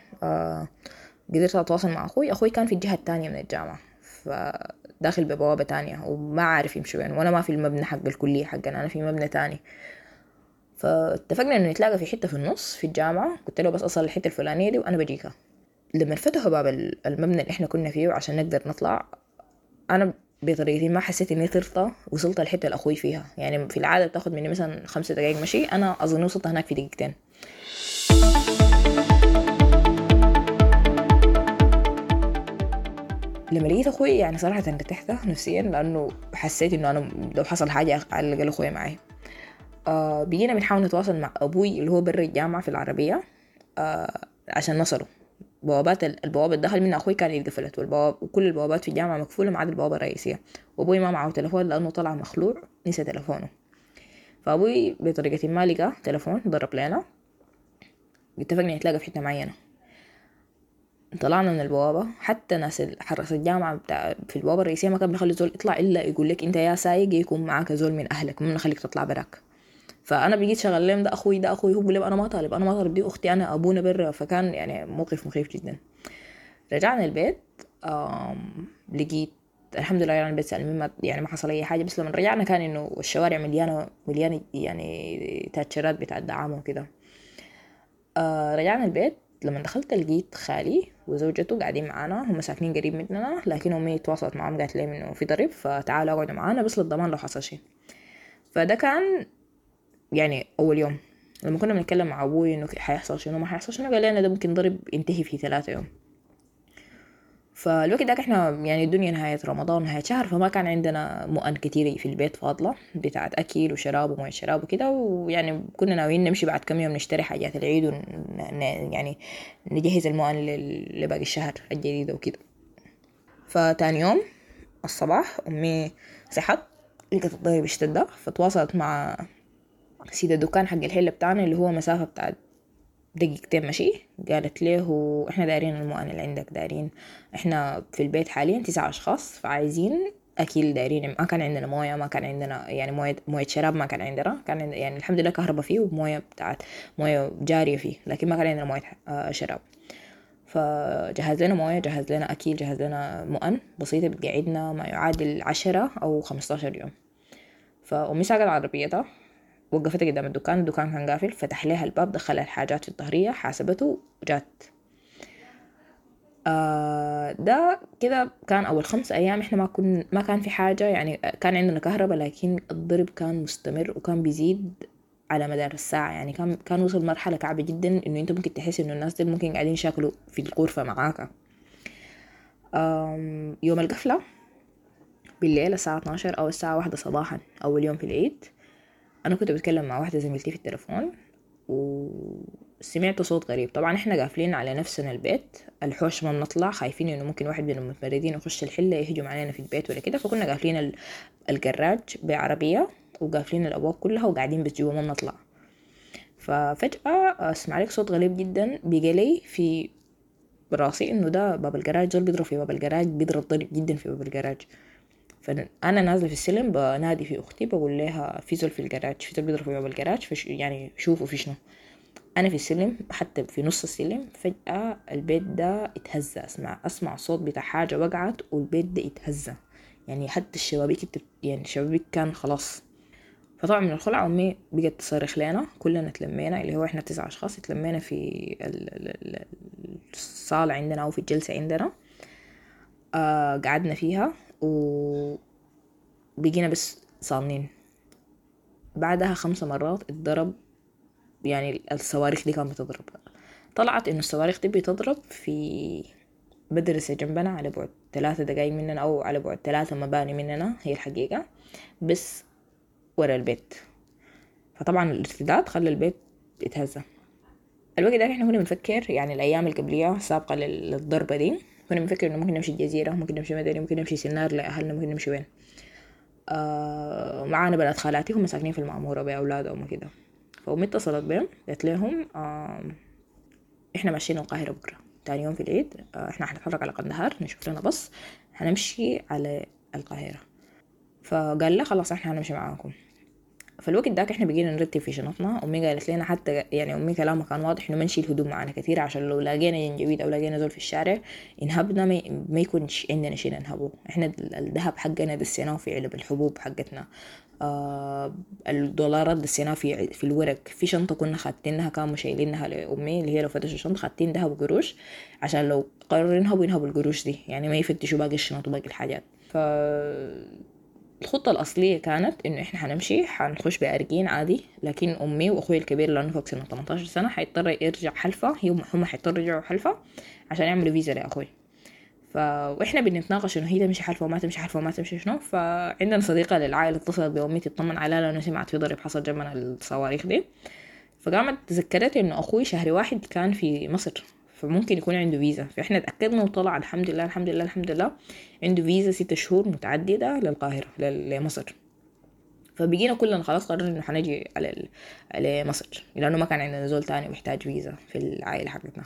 قدرت أتواصل مع أخوي. أخوي كان في الجهة التانية من الجامعة، فداخل ببوابة تانية وما عارف يمشي وين، وأنا ما في المبنى حق الكلية حقنا، أنا في مبنى تاني. فاتفقنا إنه نتلاقى في حتة في النص في الجامعة. قلت له بس أصل الحتة الفلانية دي وأنا بجيك. لما فتحوا باب المبنى اللي إحنا كنا فيه عشان نقدر نطلع، أنا بطريقتي ما حسيت إني طرت، وصلت الحتة اللي أخوي فيها. يعني في العادة بتاخد مني مثلا 5 دقايق مشي، أنا أظن وصلت هناك في دقيقتين. لما لقيت أخوي يعني صراحة ارتحت نفسيا، لأنه حسيت إنه أنا لو حصل حاجة على الأقل أخوي معي. بقينا بنحاول نتواصل مع أبوي اللي هو برا الجامعة في العربية، عشان نصله. بوابات البوابة الدخل منها أخوي كان اتقفلت، وكل البوابات في الجامعة مقفولة ما عدا البوابة الرئيسية. وأبوي ما معه تلفون لأنه طلع مخلوع، نسى تلفونه. فأبوي بطريقة ما لقى تلفون، ضرب لنا، اتفقنا نتلاقى في حتة معينة. طلعنا من البوابة، حتى ناس حرس الجامعة بتاع في البوابة الرئيسية ما كان بيخلي زول يطلع إلا يقول لك أنت يا سايق يكون معاك زول من أهلك، ما بنخليك تطلع براك. فأنا بقيت شغال لهم ده أخوي ده أخوي، هو بيقول لهم أنا ما طالب، أنا ما طالب، دي أختي، أنا أبونا برا. فكان يعني موقف مخيف جدا. رجعنا البيت، لقيت الحمد لله يعني البيت سالمين، ما يعني ما حصل أي حاجة. بس لما رجعنا كان إنه الشوارع مليانة مليانة يعني تاتشرات بتاع الدعامة وكده. رجعنا البيت، لما دخلت لقيت خالي وزوجته قاعدين معانا، هم ساكنين قريب مننا، لكن أمي تواصلت معاهم قالت لهم إنه في ضرب فتعالوا اقعدوا معانا بس للضمان لو حصل شيء. فده كان يعني أول يوم. لما كنا بنتكلم مع أبوي إنه حيحصل شنو ما حيحصل شنو، قال لنا ده ممكن ضرب ينتهي في 3 يوم. فالوقت داك احنا يعني الدنيا نهاية رمضان نهاية شهر، فما كان عندنا مؤن كتير في البيت فاضلة بتاعت أكل وشراب وموية شراب وكده، ويعني كنا ناويين نمشي بعد كم يوم نشتري حاجات العيد يعني نجهز المؤن لباقي الشهر الجديد وكده. فتاني يوم الصباح أمي صحت لقت الضرب اشتد، فتواصلت مع سيد الدكان حق الحلة بتاعنا اللي هو مسافة بتاعت دقيقتين مشي. قالت له احنا دايرين المؤن اللي عندك، دايرين احنا في البيت حاليا 9 أشخاص، فعايزين اكل، دايرين، ما كان عندنا مويه، ما كان عندنا يعني مويه شراب ما كان عندنا، كان عندنا يعني الحمد لله كهرباء فيه ومويه بتاعت مويه جاريه فيه، لكن ما كان عندنا مويه شراب. فجهز لنا مويه، جهز لنا اكل، جهز لنا مؤن بسيطه بتقعدنا ما يعادل 10 أو 15 يوم. فامي ساقت عربيتها، وقفت قدام الدكان، الدكان كان قافل، فتح لها الباب، دخلها الحاجات في الظهرية، حاسبته وجات. ده كده كان أول 5 أيام إحنا ما كان في حاجة، يعني كان عندنا كهرباء لكن الضرب كان مستمر وكان بيزيد على مدار الساعة. يعني كان وصل مرحلة كعبة جدا إنه أنت ممكن تحس إنه الناس دي ممكن قاعدين يشاكلوا في الغرفة معاك. يوم القفلة بالليل الساعة 12 أو الساعة 1 صباحا أول يوم في العيد، أنا كنت بتكلم مع واحدة زميلتي في التليفون وسمعت صوت غريب. طبعا إحنا قافلين على نفسنا البيت، الحوش ما بنطلع، خايفين إنه ممكن واحد من المتمردين يخش الحلة يهجم علينا في البيت ولا كده، فكنا قافلين الجراج بعربية وقافلين الأبواب كلها وقاعدين بس جوا ما بنطلع. ففجأة أسمع لك صوت غريب جدا بيجي في راسي إنه ده باب الجراج، زول بيضرب في باب الجراج، بيضرب ضرب جدا في باب الجراج. فأنا نازلة في السلم بنادي في أختي بقول لها في زول في الجراج، في زول بيضرب في باب الجراج، يعني شوفوا في شنو. أنا في السلم حتى في نص السلم فجأة البيت ده اتهز، أسمع صوت بتاع حاجة وقعت والبيت ده اتهز، يعني حتى الشبابيك يعني الشبابيك كان خلاص. فطبعا من الخلع أمي بقت تصرخ لنا، كلنا تلمينا اللي هو إحنا 9 أشخاص تلمينا في الصالة عندنا أو في الجلسة عندنا، قعدنا فيها وبقينا بس صامنين. بعدها 5 مرات اتضرب، يعني الصواريخ دي كانت بتضرب. طلعت إنه الصواريخ دي بتضرب في مدرسة جنبنا على بعد 3 دقايق مننا أو على بعد 3 مباني مننا، هي الحقيقة بس ورا البيت. فطبعا الارتداد خلى البيت يتهزأ. الوقت ده احنا كنا بنفكر يعني الأيام القبلية السابقة للضربة دي كنا بنفكر إنه ممكن نمشي الجزيرة، ممكن نمشي مدني، ممكن نمشي سنار لأهلنا، ممكن نمشي وين. معانا بنات خالاتي هم ساكنين في المعمورة بأولادهم وكده. فأمي اتصلت بهم قالت لهم إحنا ماشيين القاهرة بكرة تاني يوم في العيد، إحنا حنتحرك على قندهار نشوف لنا بص هنمشي على القاهرة. فقال لا خلاص إحنا هنمشي معاكم. فالوقت داك إحنا بقينا نرتب في شنطنا. أمي قالت لنا حتى يعني أمي كلامها كان واضح إنه ما نشيل هدوم معانا كثير عشان لو لاقينا جنجويد أو لاقينا زول في الشارع ينهبنا ما يكون عندنا شيء ننهبه. إحنا الذهب حقنا دسيناه في علب الحبوب حقتنا، الدولارات دسيناها في الورق، في شنطة كنا خاتينها كانوا شايلينها لأمي اللي هي لو فتشوا الشنطة خاتين ذهب وقروش عشان لو قرروا ينهبوا القروش دي، يعني ما يفتشوا باقي الشنط وباقي الحاجات. ف الخطة الأصلية كانت إنه إحنا حنمشي حنخش بأرجين عادي، لكن أمي وأخوي الكبير لأنه فوق سنة 18 سنة حيضطر يرجع حلفة، هم حيضطروا يرجعوا حلفة عشان يعملوا فيزا لأخوي. وإحنا بنتناقش إنه هي تمشي حلفة وما تمشي حلفة وما تمشي شنو. فعندنا صديقة للعائلة اتصلت بأمي تطمن عليها لأنه سمعت في ضرب حصل جنبنا الصواريخ دي، فقامت تذكرت إنه أخوي شهر 1 كان في مصر فممكن يكون عنده فيزا. فإحنا تأكدنا وطلع الحمد لله الحمد لله الحمد لله عنده فيزا 6 شهور متعددة للقاهرة لمصر. فبقينا كلنا خلاص قررنا إنه حنجي على مصر لأنه ما كان عندنا زول تاني محتاج فيزا في العائلة حقتنا.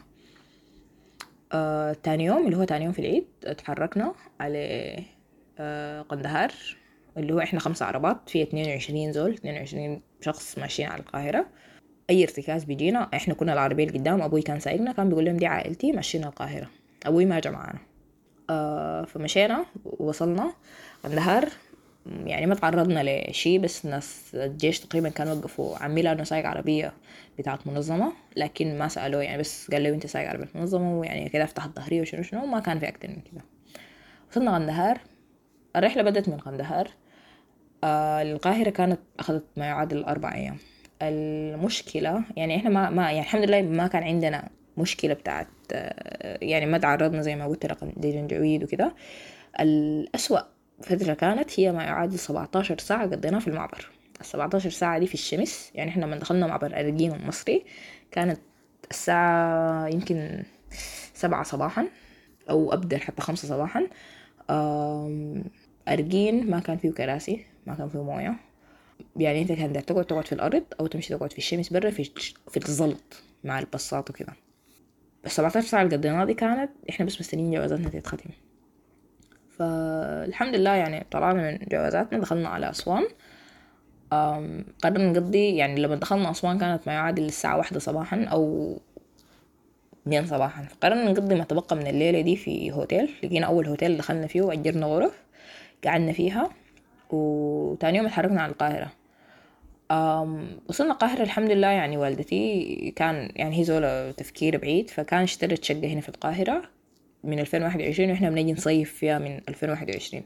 تاني يوم اللي هو تاني يوم في العيد اتحركنا على قندهار، اللي هو إحنا 5 عربات في 22 زول، 22 شخص ماشيين على القاهرة. أي ارتكاز بيجينا إحنا كنا العربية اللي قدام، أبوي كان سايقنا كان بيقول لهم دي عائلتي ماشيين القاهرة، أبوي ما جا معانا. فمشينا ووصلنا قندهار، يعني ما تعرضنا لشيء، بس ناس الجيش تقريبا كانوا وقفوا عمي لأنه سايق عربية بتاعت منظمة، لكن ما سألوه يعني، بس قال له أنت سايق عربية منظمة ويعني كده افتح الظهرية وشنو شنو، ما كان في أكتر من كده. وصلنا قندهار، الرحلة بدأت من قندهار. القاهرة كانت أخذت ما يعادل 4 أيام. المشكلة يعني إحنا ما يعني الحمد لله ما كان عندنا مشكلة بتاعت يعني ما تعرضنا زي ما قلت رقم جنجويد وكده. الأسوأ فترة كانت هي ما يعادل 17 ساعة قضيناها في المعبر. 17 ساعة دي في الشمس، يعني إحنا لما دخلنا معبر أرجين المصري كانت الساعة يمكن 7 صباحا أو أبدأ حتى 5 صباحا. أرجين ما كان فيه كراسي، ما كان فيه موية، يعني انت كان تقعد في الارض او تمشي تقعد في الشمس برا في الزلط مع الباصات وكده. بس 17 ساعة اللي قضيناها دي كانت احنا بس مستنيين جوازاتنا تتختم. فالحمد لله يعني طلعنا من جوازاتنا دخلنا على أسوان. قررنا نقضي يعني لما دخلنا أسوان كانت ما يعادل الساعة 1 صباحا أو 2 صباحا، فقررنا نقضي ما تبقى من الليلة دي في هوتيل. لقينا أول هوتيل دخلنا فيه وأجرنا غرف قعدنا فيها، وتاني يوم اتحركنا على القاهرة. وصلنا القاهرة الحمد لله، يعني والدتي كان يعني هي زولة تفكير بعيد، فكان اشترت شقة هنا في القاهرة من 2021 واحنا بنجي نصيف فيها من 2021.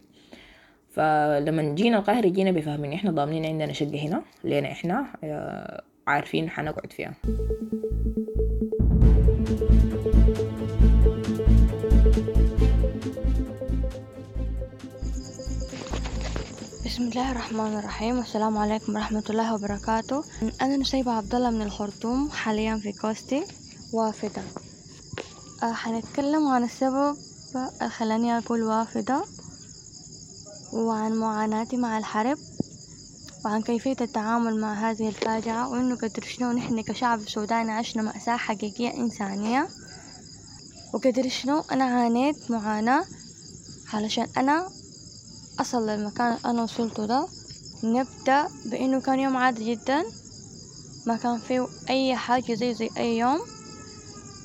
فلما جينا القاهرة جينا بفهمين احنا ضامنين عندنا شقة هنا لنا احنا عارفين حنقعد فيها. بسم الله الرحمن الرحيم، والسلام عليكم ورحمة الله وبركاته. أنا نسيبة عبد الله من الخرطوم، حاليا في كوستي وافدة. حنتكلم عن السبب اللي خلاني أقول وافدة، وعن معاناتي مع الحرب، وعن كيفية التعامل مع هذه الفاجعة، وإنه قدر شنو نحن كشعب سوداني عشنا مأساة حقيقية إنسانية، وقدر شنو أنا عانيت معاناة علشان أنا أصل للمكان اللي أنا وصلته ده. نبدأ بإنه كان يوم عادي جدا، ما كان فيه أي حاجة زي أي يوم.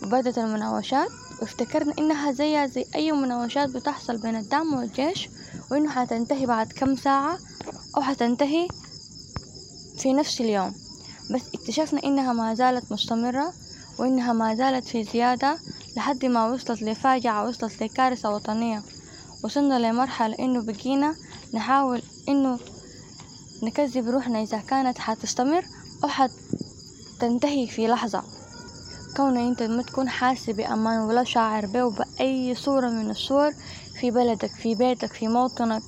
وبدت المناوشات، وافتكرنا إنها زي أي مناوشات بتحصل بين الدعم والجيش، وإنه حتنتهي بعد كم ساعة أو حتنتهي في نفس اليوم. بس اكتشفنا إنها ما زالت مستمرة، وإنها ما زالت في زيادة لحد ما وصلت لفاجعة، وصلت لكارثة وطنية. وصلنا لمرحلة إنه بقينا نحاول إنه نكذب روحنا إذا كانت حتستمر أو حتنتهي في لحظة. كون أنت ما تكون حاسس بأمان ولا شاعر به بأي صورة من الصور في بلدك، في بيتك، في موطنك.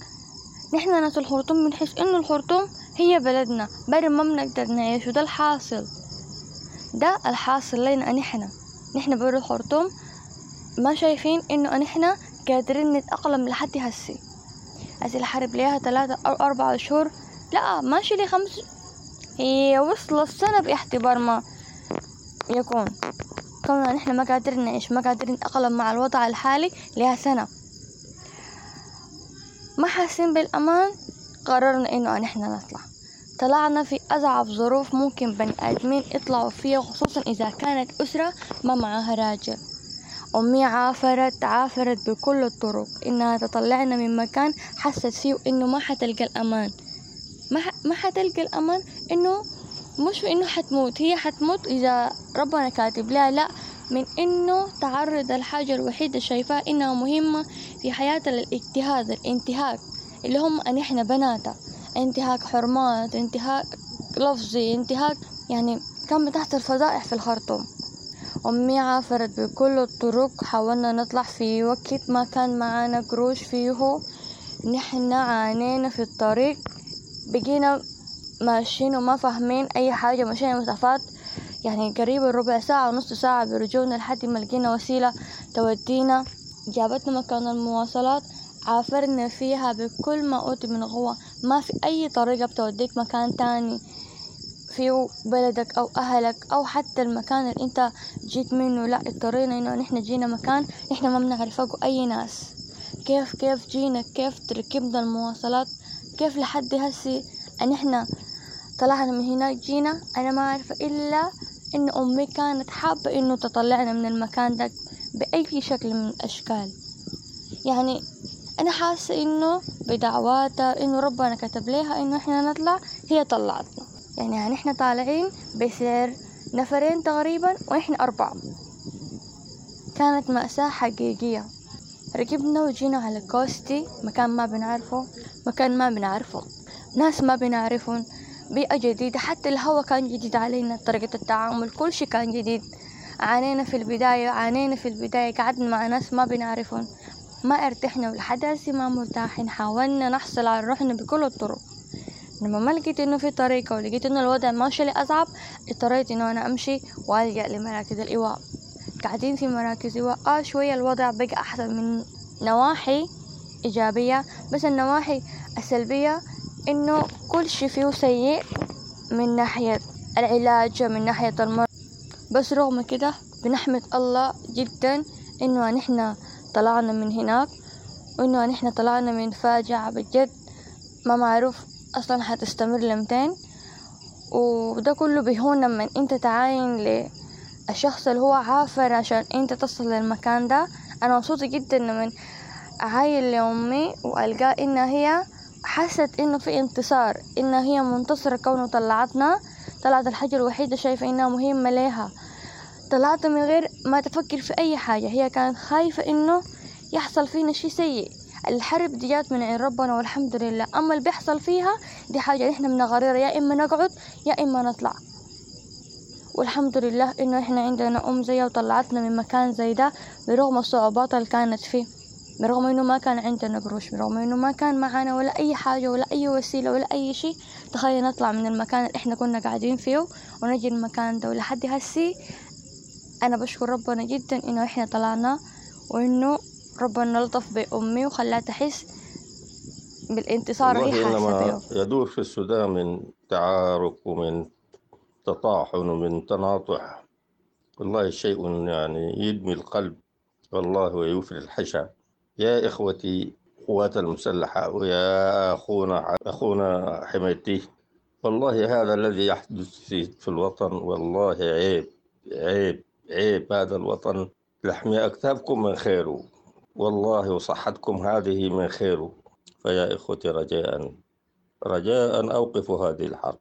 نحن ناس الخرطوم بنحس إنه الخرطوم هي بلدنا، برا ما بنقدر نعيش، وده الحاصل، ده الحاصل لنا. نحن برا الخرطوم ما شايفين إنه نحن قادرين نتأقلم لحد هسي. هسي الحرب ليها 3 أو 4 شهور، لا ماشي لي 5، هي وصلت السنة باعتبار ما يكون. كوننا نحن ما قادرين نعيش، ما قادرين نتأقلم مع الوضع الحالي لها سنة، ما حاسين بالأمان. قررنا إنه نحن نطلع. طلعنا في أصعب ظروف ممكن بني آدمين يطلعوا فيها، خصوصا إذا كانت أسرة ما معاها راجل. أمي عافرت بكل الطرق إنها تطلعنا من مكان حست فيه إنه ما حتلقى الأمان، ما حتلقى الأمان، إنه مش إنه حتموت، هي حتموت إذا ربنا كاتب لها، لا، من إنه تعرض الحاجة الوحيدة شايفاها إنها مهمة في حياتها للاجتهاد، الانتهاك اللي هم أن إحنا بناتها، انتهاك حرمات، انتهاك لفظي، انتهاك يعني كان بتحت الفضائح في الخرطوم. أمي عافرت بكل الطرق، حاولنا نطلع في وقت ما كان معانا قروش فيه، نحن عانينا في الطريق، بقينا ماشيين وما فاهمين أي حاجة، مشينا مسافات يعني قريب الربع ساعة ونص ساعة برجولنا لحد ما لقينا وسيلة تودينا، جابتنا مكان المواصلات، عافرنا فيها بكل ما أوتي من قوة. ما في أي طريقة بتوديك مكان تاني في بلدك أو أهلك أو حتى المكان اللي أنت جيت منه، لا، اضطرينا إنه نحن جينا مكان نحن ما بنعرفه أي ناس، كيف جينا، كيف ركبنا المواصلات، كيف لحد هسي أن إحنا طلعنا من هناك جينا. أنا ما عارفة إلا إن أمي كانت حابة إنه تطلعنا من المكان ده بأي شكل من الأشكال. يعني أنا حاسة إنه بدعواتها إنه ربنا كتب لها إنه إحنا نطلع، هي طلعتنا. يعني إحنا طالعين بسعر نفرين تقريبا وإحنا 4. كانت مأساة حقيقية. ركبنا وجينا على كوستي، مكان ما بنعرفه، مكان ما بنعرفه، ناس ما بنعرفهم، بيئة جديدة، حتى الهواء كان جديد علينا، طريقة التعامل كل شيء كان جديد. عانينا في البداية، قعدنا مع ناس ما بنعرفهم، ما ارتحنا ولحد هسي ما مرتاحين. حاولنا نحصل على روحنا بكل الطرق، لما ما لقيت انه في طريقة ولقيت انه الوضع ماشي لأصعب، اضطريت انه انا امشي والجأ لمراكز الايواء. قاعدين في مراكز ايواء شوية الوضع بقى احسن من نواحي ايجابية، بس النواحي السلبية انه كل شي فيه سيء من ناحية العلاج، من ناحية المرض. بس رغم كده بنحمد الله جدا انه نحن طلعنا من هناك، وانه نحن طلعنا من فاجعة بجد ما معروف اصلا حتستمر لمتين. وده كله بيهون لما انت تعاين للشخص اللي هو عافر عشان انت تصل للمكان ده. انا مبسوطة جدا لما اعاين لامي والقى ان هي حست انه في انتصار، ان هي منتصرة كونه طلعتنا، طلعت الحاجة الوحيدة شايفة انها مهمة ليها، طلعت من غير ما تفكر في اي حاجة. هي كانت خايفة انه يحصل فينا شيء سيء. الحرب دي جات من عند ربنا والحمد لله، اما اللي بيحصل فيها دي حاجة احنا بنقررها، يا اما نقعد يا اما نطلع. والحمد لله انه احنا عندنا ام زيها وطلعتنا من مكان زي ده برغم الصعوبات اللي كانت فيه، برغم انه ما كان عندنا قروش، برغم انه ما كان معانا ولا اي حاجة ولا اي وسيلة ولا اي شيء تخلينا نطلع من المكان اللي احنا كنا قاعدين فيه ونجي المكان ده. ولحد هسي انا بشكر ربنا جدا انه احنا طلعنا، وانه ربنا لطف بأمي وخلاها تحس بالانتصار اللي هي حاسة بيه. يدور في السودان من تعارك ومن تطاحن ومن تناطح، والله شيء يعني يدمي القلب والله ويوفر الحشا. يا إخوتي قوات المسلحة ويا أخونا حميدتي، والله هذا الذي يحدث في الوطن والله عيب عيب عيب. هذا الوطن لحم أكتافكم من خيره والله، وصحتكم هذه من خيره. فيا إخوتي رجاء رجاء أوقفوا هذه الحرب،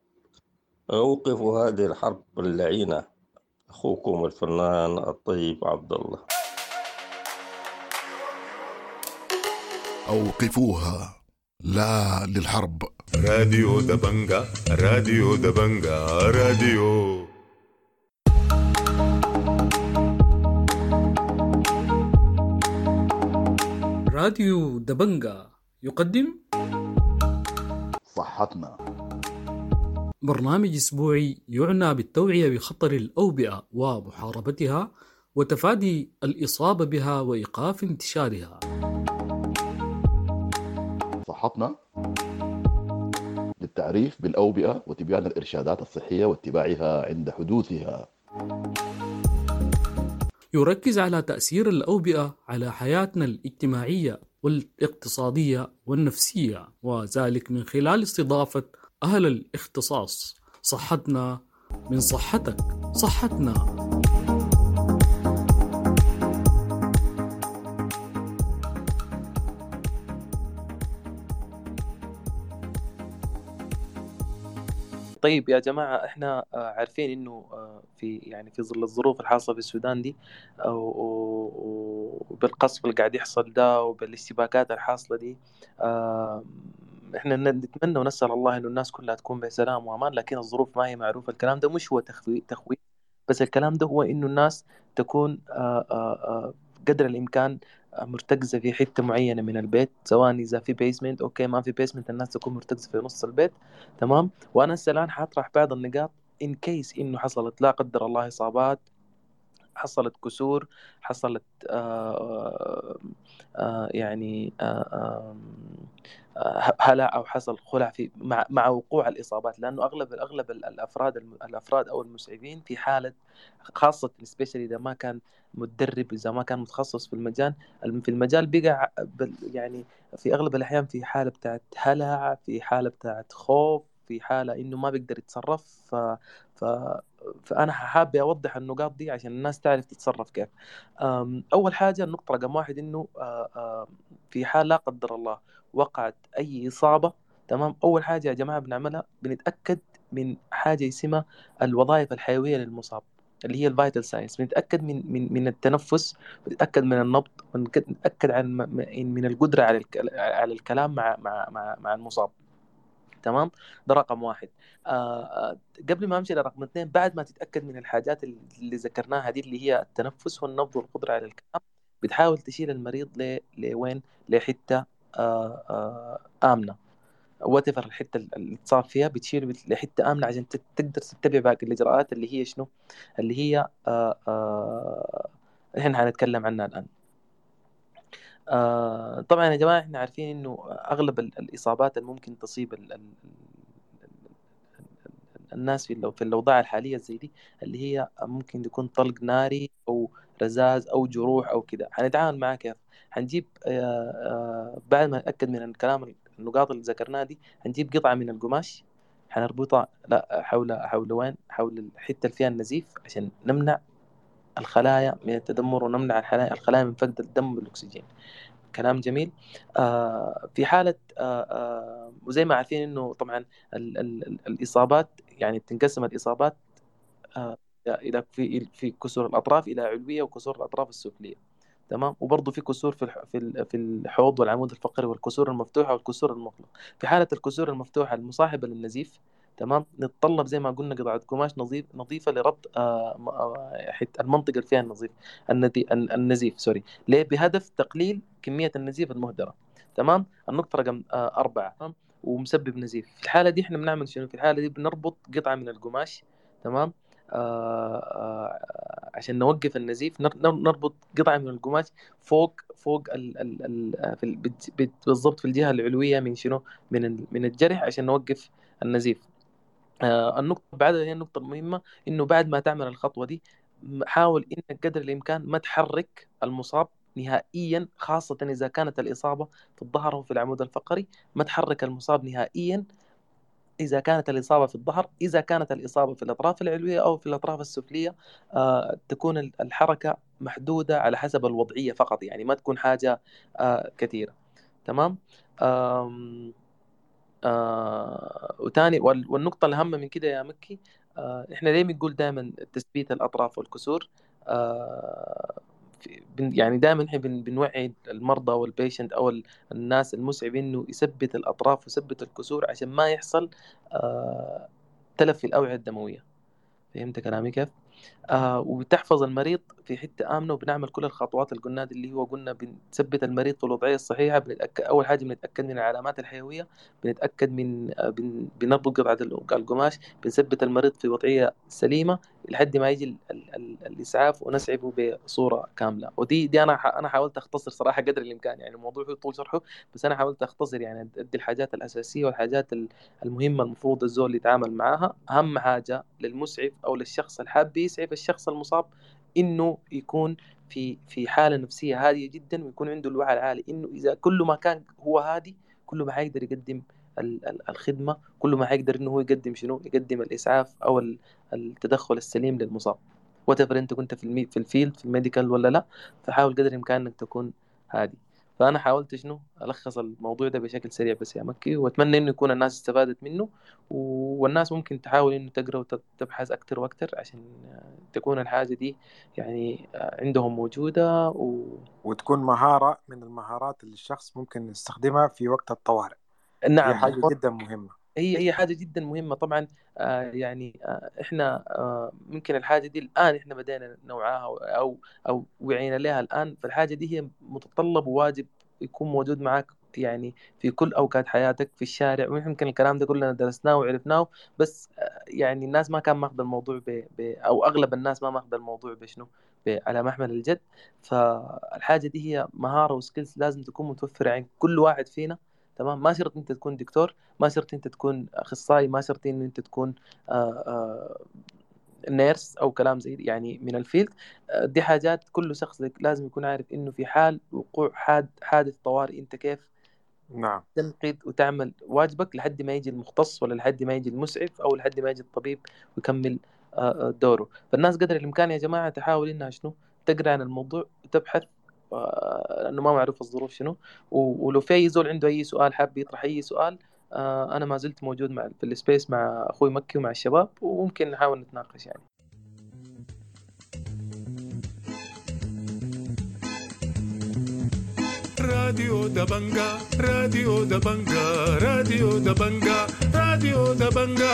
أوقفوا هذه الحرب اللعينة. أخوكم الفنان الطيب عبد الله. أوقفوها، لا للحرب. راديو دبنجا، راديو دبنجا، راديو. راديو دبنجا يقدم صحتنا، برنامج أسبوعي يعنى بالتوعية بخطر الأوبئة ومحاربتها وتفادي الإصابة بها وإيقاف انتشارها. صحتنا للتعريف بالأوبئة وتبيان الإرشادات الصحية واتباعها عند حدوثها. يركز على تأثير الأوبئة على حياتنا الاجتماعية والاقتصادية والنفسية، وذلك من خلال استضافة أهل الاختصاص. صحتنا من صحتك، صحتنا. طيب يا جماعة، احنا عارفين انه في يعني في ظل الظروف الحاصلة في السودان دي وبالقصف اللي قاعد يحصل ده وبالاشتباكات الحاصلة دي، احنا نتمنى ونسأل الله انه الناس كلها تكون بسلام وامان، لكن الظروف ما هي معروفة. الكلام ده مش هو تخويف، بس الكلام ده هو انه الناس تكون قدر الامكان مرتكزة في حتة معينة من البيت، سواء إذا في basement okay، ما في basement الناس تكون مرتكزة في نص البيت، تمام. وأنا هسه الآن حاطرح بعض النقاط in case إنه حصلت لا قدر الله إصابات، حصلت كسور، حصلت يعني هلع أو حصل خلع في مع وقوع الإصابات، لأنه أغلب الأفراد أو المسعفين في حالة خاصة especially إذا ما كان متدرب، إذا ما كان متخصص في المجال، بقى يعني في أغلب الأحيان في حالة بتاعت هلع، في حالة بتاعت خوف، في حالة إنه ما بيقدر يتصرف. فأنا حابة أوضح النقاط دي عشان الناس تعرف تتصرف كيف. أول حاجة النقطة رقم 1 إنه في حال لا قدر الله وقعت أي إصابة، تمام، أول حاجة يا جماعة بنعملها بنتأكد من حاجة اسمها الوظائف الحيوية للمصاب اللي هي ال vital signs. بنتأكد من من التنفس، بنتأكد من النبض، بنتأكد عن من القدرة على الكلام مع مع مع, مع المصاب، تمام. ده رقم 1. قبل ما امشي لرقم 2، بعد ما تتاكد من الحاجات اللي ذكرناها دي اللي هي التنفس والنبض والقدرة على الكلام، بتحاول تشيل المريض لوين؟ لحته امنه، whatever الحتة اللي اتصاب فيها بتشيله لحته امنه عشان تقدر تتبع باقي الاجراءات اللي هي شنو؟ اللي هي احنا هنتكلم عنها الان. طبعا يا جماعة احنا عارفين انه اغلب الاصابات اللي ممكن تصيب الناس في الاوضاع الحالية زي دي اللي هي ممكن يكون طلق ناري او رذاذ او جروح او كده. هنتعامل معاه كيف؟ هنجيب بعد ما نتاكد من الكلام النقاط اللي ذكرناها دي، هنجيب قطعه من القماش هنربطها لا حول وين؟ حول الحتة اللي فيها النزيف عشان نمنع الخلايا من التدمر ونمنع الخلايا من فقد الدم والأكسجين. كلام جميل. في حالة وزي ما عارفين إنه طبعا الإصابات يعني بتنقسم الإصابات إلى في كسور الأطراف إلى علوية وكسور الأطراف السفلية، تمام. وبرضه في كسور في الحوض والعمود الفقري والكسور المفتوحة والكسور المغلقة. في حالة الكسور المفتوحة المصاحبة للنزيف، تمام، نتطلب زي ما قلنا قطعة قماش نظيفة لربط المنطقة اللي فيها النزيف سوري، ليه؟ بهدف تقليل كمية النزيف المهدرة، تمام. النقطة رقم 4، ومسبب نزيف. في الحالة دي احنا بنعمل شنو؟ في الحالة دي بنربط قطعة من القماش، تمام، عشان نوقف النزيف. نربط قطعة من القماش فوق ال بالضبط في الجهة العلوية من شنو؟ من الجرح عشان نوقف النزيف. النقطة بعدها هي النقطة المهمة، إنه بعد ما تعمل الخطوة دي حاول إنك قدر الإمكان ما تحرك المصاب نهائيا، خاصة إذا كانت الإصابة في الظهر أو في العمود الفقري. ما تحرك المصاب نهائيا إذا كانت الإصابة في الظهر. إذا كانت الإصابة في الأطراف العلوية أو في الأطراف السفلية تكون الحركة محدودة على حسب الوضعية فقط، يعني ما تكون حاجة كثيرة، تمام. وتاني والنقطة الأهم من كده يا مكي، إحنا ليه بنقول دائما تثبيت الأطراف والكسور؟ يعني دائما إحنا بنوعي المرضى وال patient أو الناس المسعفين إنه يثبت الأطراف ويثبت الكسور عشان ما يحصل تلف في الأوعية الدموية. فهمت كلامي كيف؟ وبتحفظ المريض في حتة آمنة، وبنعمل كل الخطوات اللي قلناها دي، اللي هو قلنا بنثبت المريض في الوضعية الصحيحة، بنتأكد أول حاجة بنتأكد من العلامات الحيوية، بنتأكد من بنربط قطعة القماش، بنثبت المريض في وضعية سليمة، لحد ما يجي ال ال ال الاسعاف ونسعفه بصورة كاملة. ودي دي انا حاولت اختصر صراحة قدر الامكان، يعني الموضوع فيه طول شرحه، بس انا حاولت اختصر يعني ادي الحاجات الاساسية والحاجات المهمة المفروض الزول يتعامل معاها. اهم حاجة للمسعف او للشخص الحاب يسعف الشخص المصاب انه يكون في حاله نفسية هادية جدا، ويكون عنده الوعي العالي انه اذا كل ما كان هو هادي كل ما حيقدر يقدم الخدمة، كل ما حيقدر انه هو يقدم شنو، يقدم الاسعاف او التدخل السليم للمصاب. whatever انت كنت في ال field في ال medical ولا لا، فحاول قدر الامكان انك تكون هادي. فانا حاولت شنو الخص الموضوع ده بشكل سريع بس يا مكي، واتمنى انه يكون الناس استفادت منه، والناس ممكن تحاول انه تقرا وتبحث اكثر واكثر عشان تكون الحاجة دي يعني عندهم موجودة وتكون مهارة من المهارات اللي الشخص ممكن يستخدمها في وقت الطوارئ. نعم، دي حاجة جدا مهمة. هي حاجة جدا مهمة طبعا. يعني احنا ممكن الحاجة دي الان احنا بدينا نوعاها او وعينا لها الان، فالحاجه دي هي متطلب وواجب يكون موجود معك يعني في كل اوقات حياتك في الشارع. ويمكن الكلام ده كلنا درسناه وعرفناه، بس يعني الناس ما كان ماخذ الموضوع او اغلب الناس ما ماخذ الموضوع بشنو على محمل الجد. فالحاجه دي هي مهارة و skills لازم تكون متوفرة عند كل واحد فينا، تمام؟ ما شرط انت تكون دكتور، ما شرط انت تكون اخصائي، ما شرط ان انت تكون nurse او كلام زي يعني من ال field. دي حاجات كل شخص لازم يكون عارف انه في حال وقوع حادث طوارئ انت كيف نعم تنقذ وتعمل واجبك لحد ما يجي المختص ولا لحد ما يجي المسعف او لحد ما يجي الطبيب ويكمل دوره. فالناس قدر الامكان يا جماعة تحاول انها شنو تقرا عن الموضوع وتبحث، لانه ما معروف الظروف شنو. ولو في اي زول عنده اي سؤال حاب يطرح اي سؤال، انا ما زلت موجود مع في ال space مع اخوي مكي ومع الشباب، وممكن نحاول نتناقش يعني. راديو دبنجا، راديو دبنجا، راديو دبنجا، راديو دبنجا.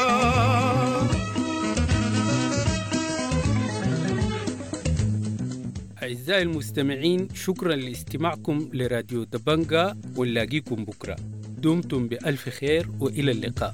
أعزائي المستمعين، شكرا لاستماعكم لراديو دبنجا، ونلاقيكم بكرة. دمتم بألف خير وإلى اللقاء.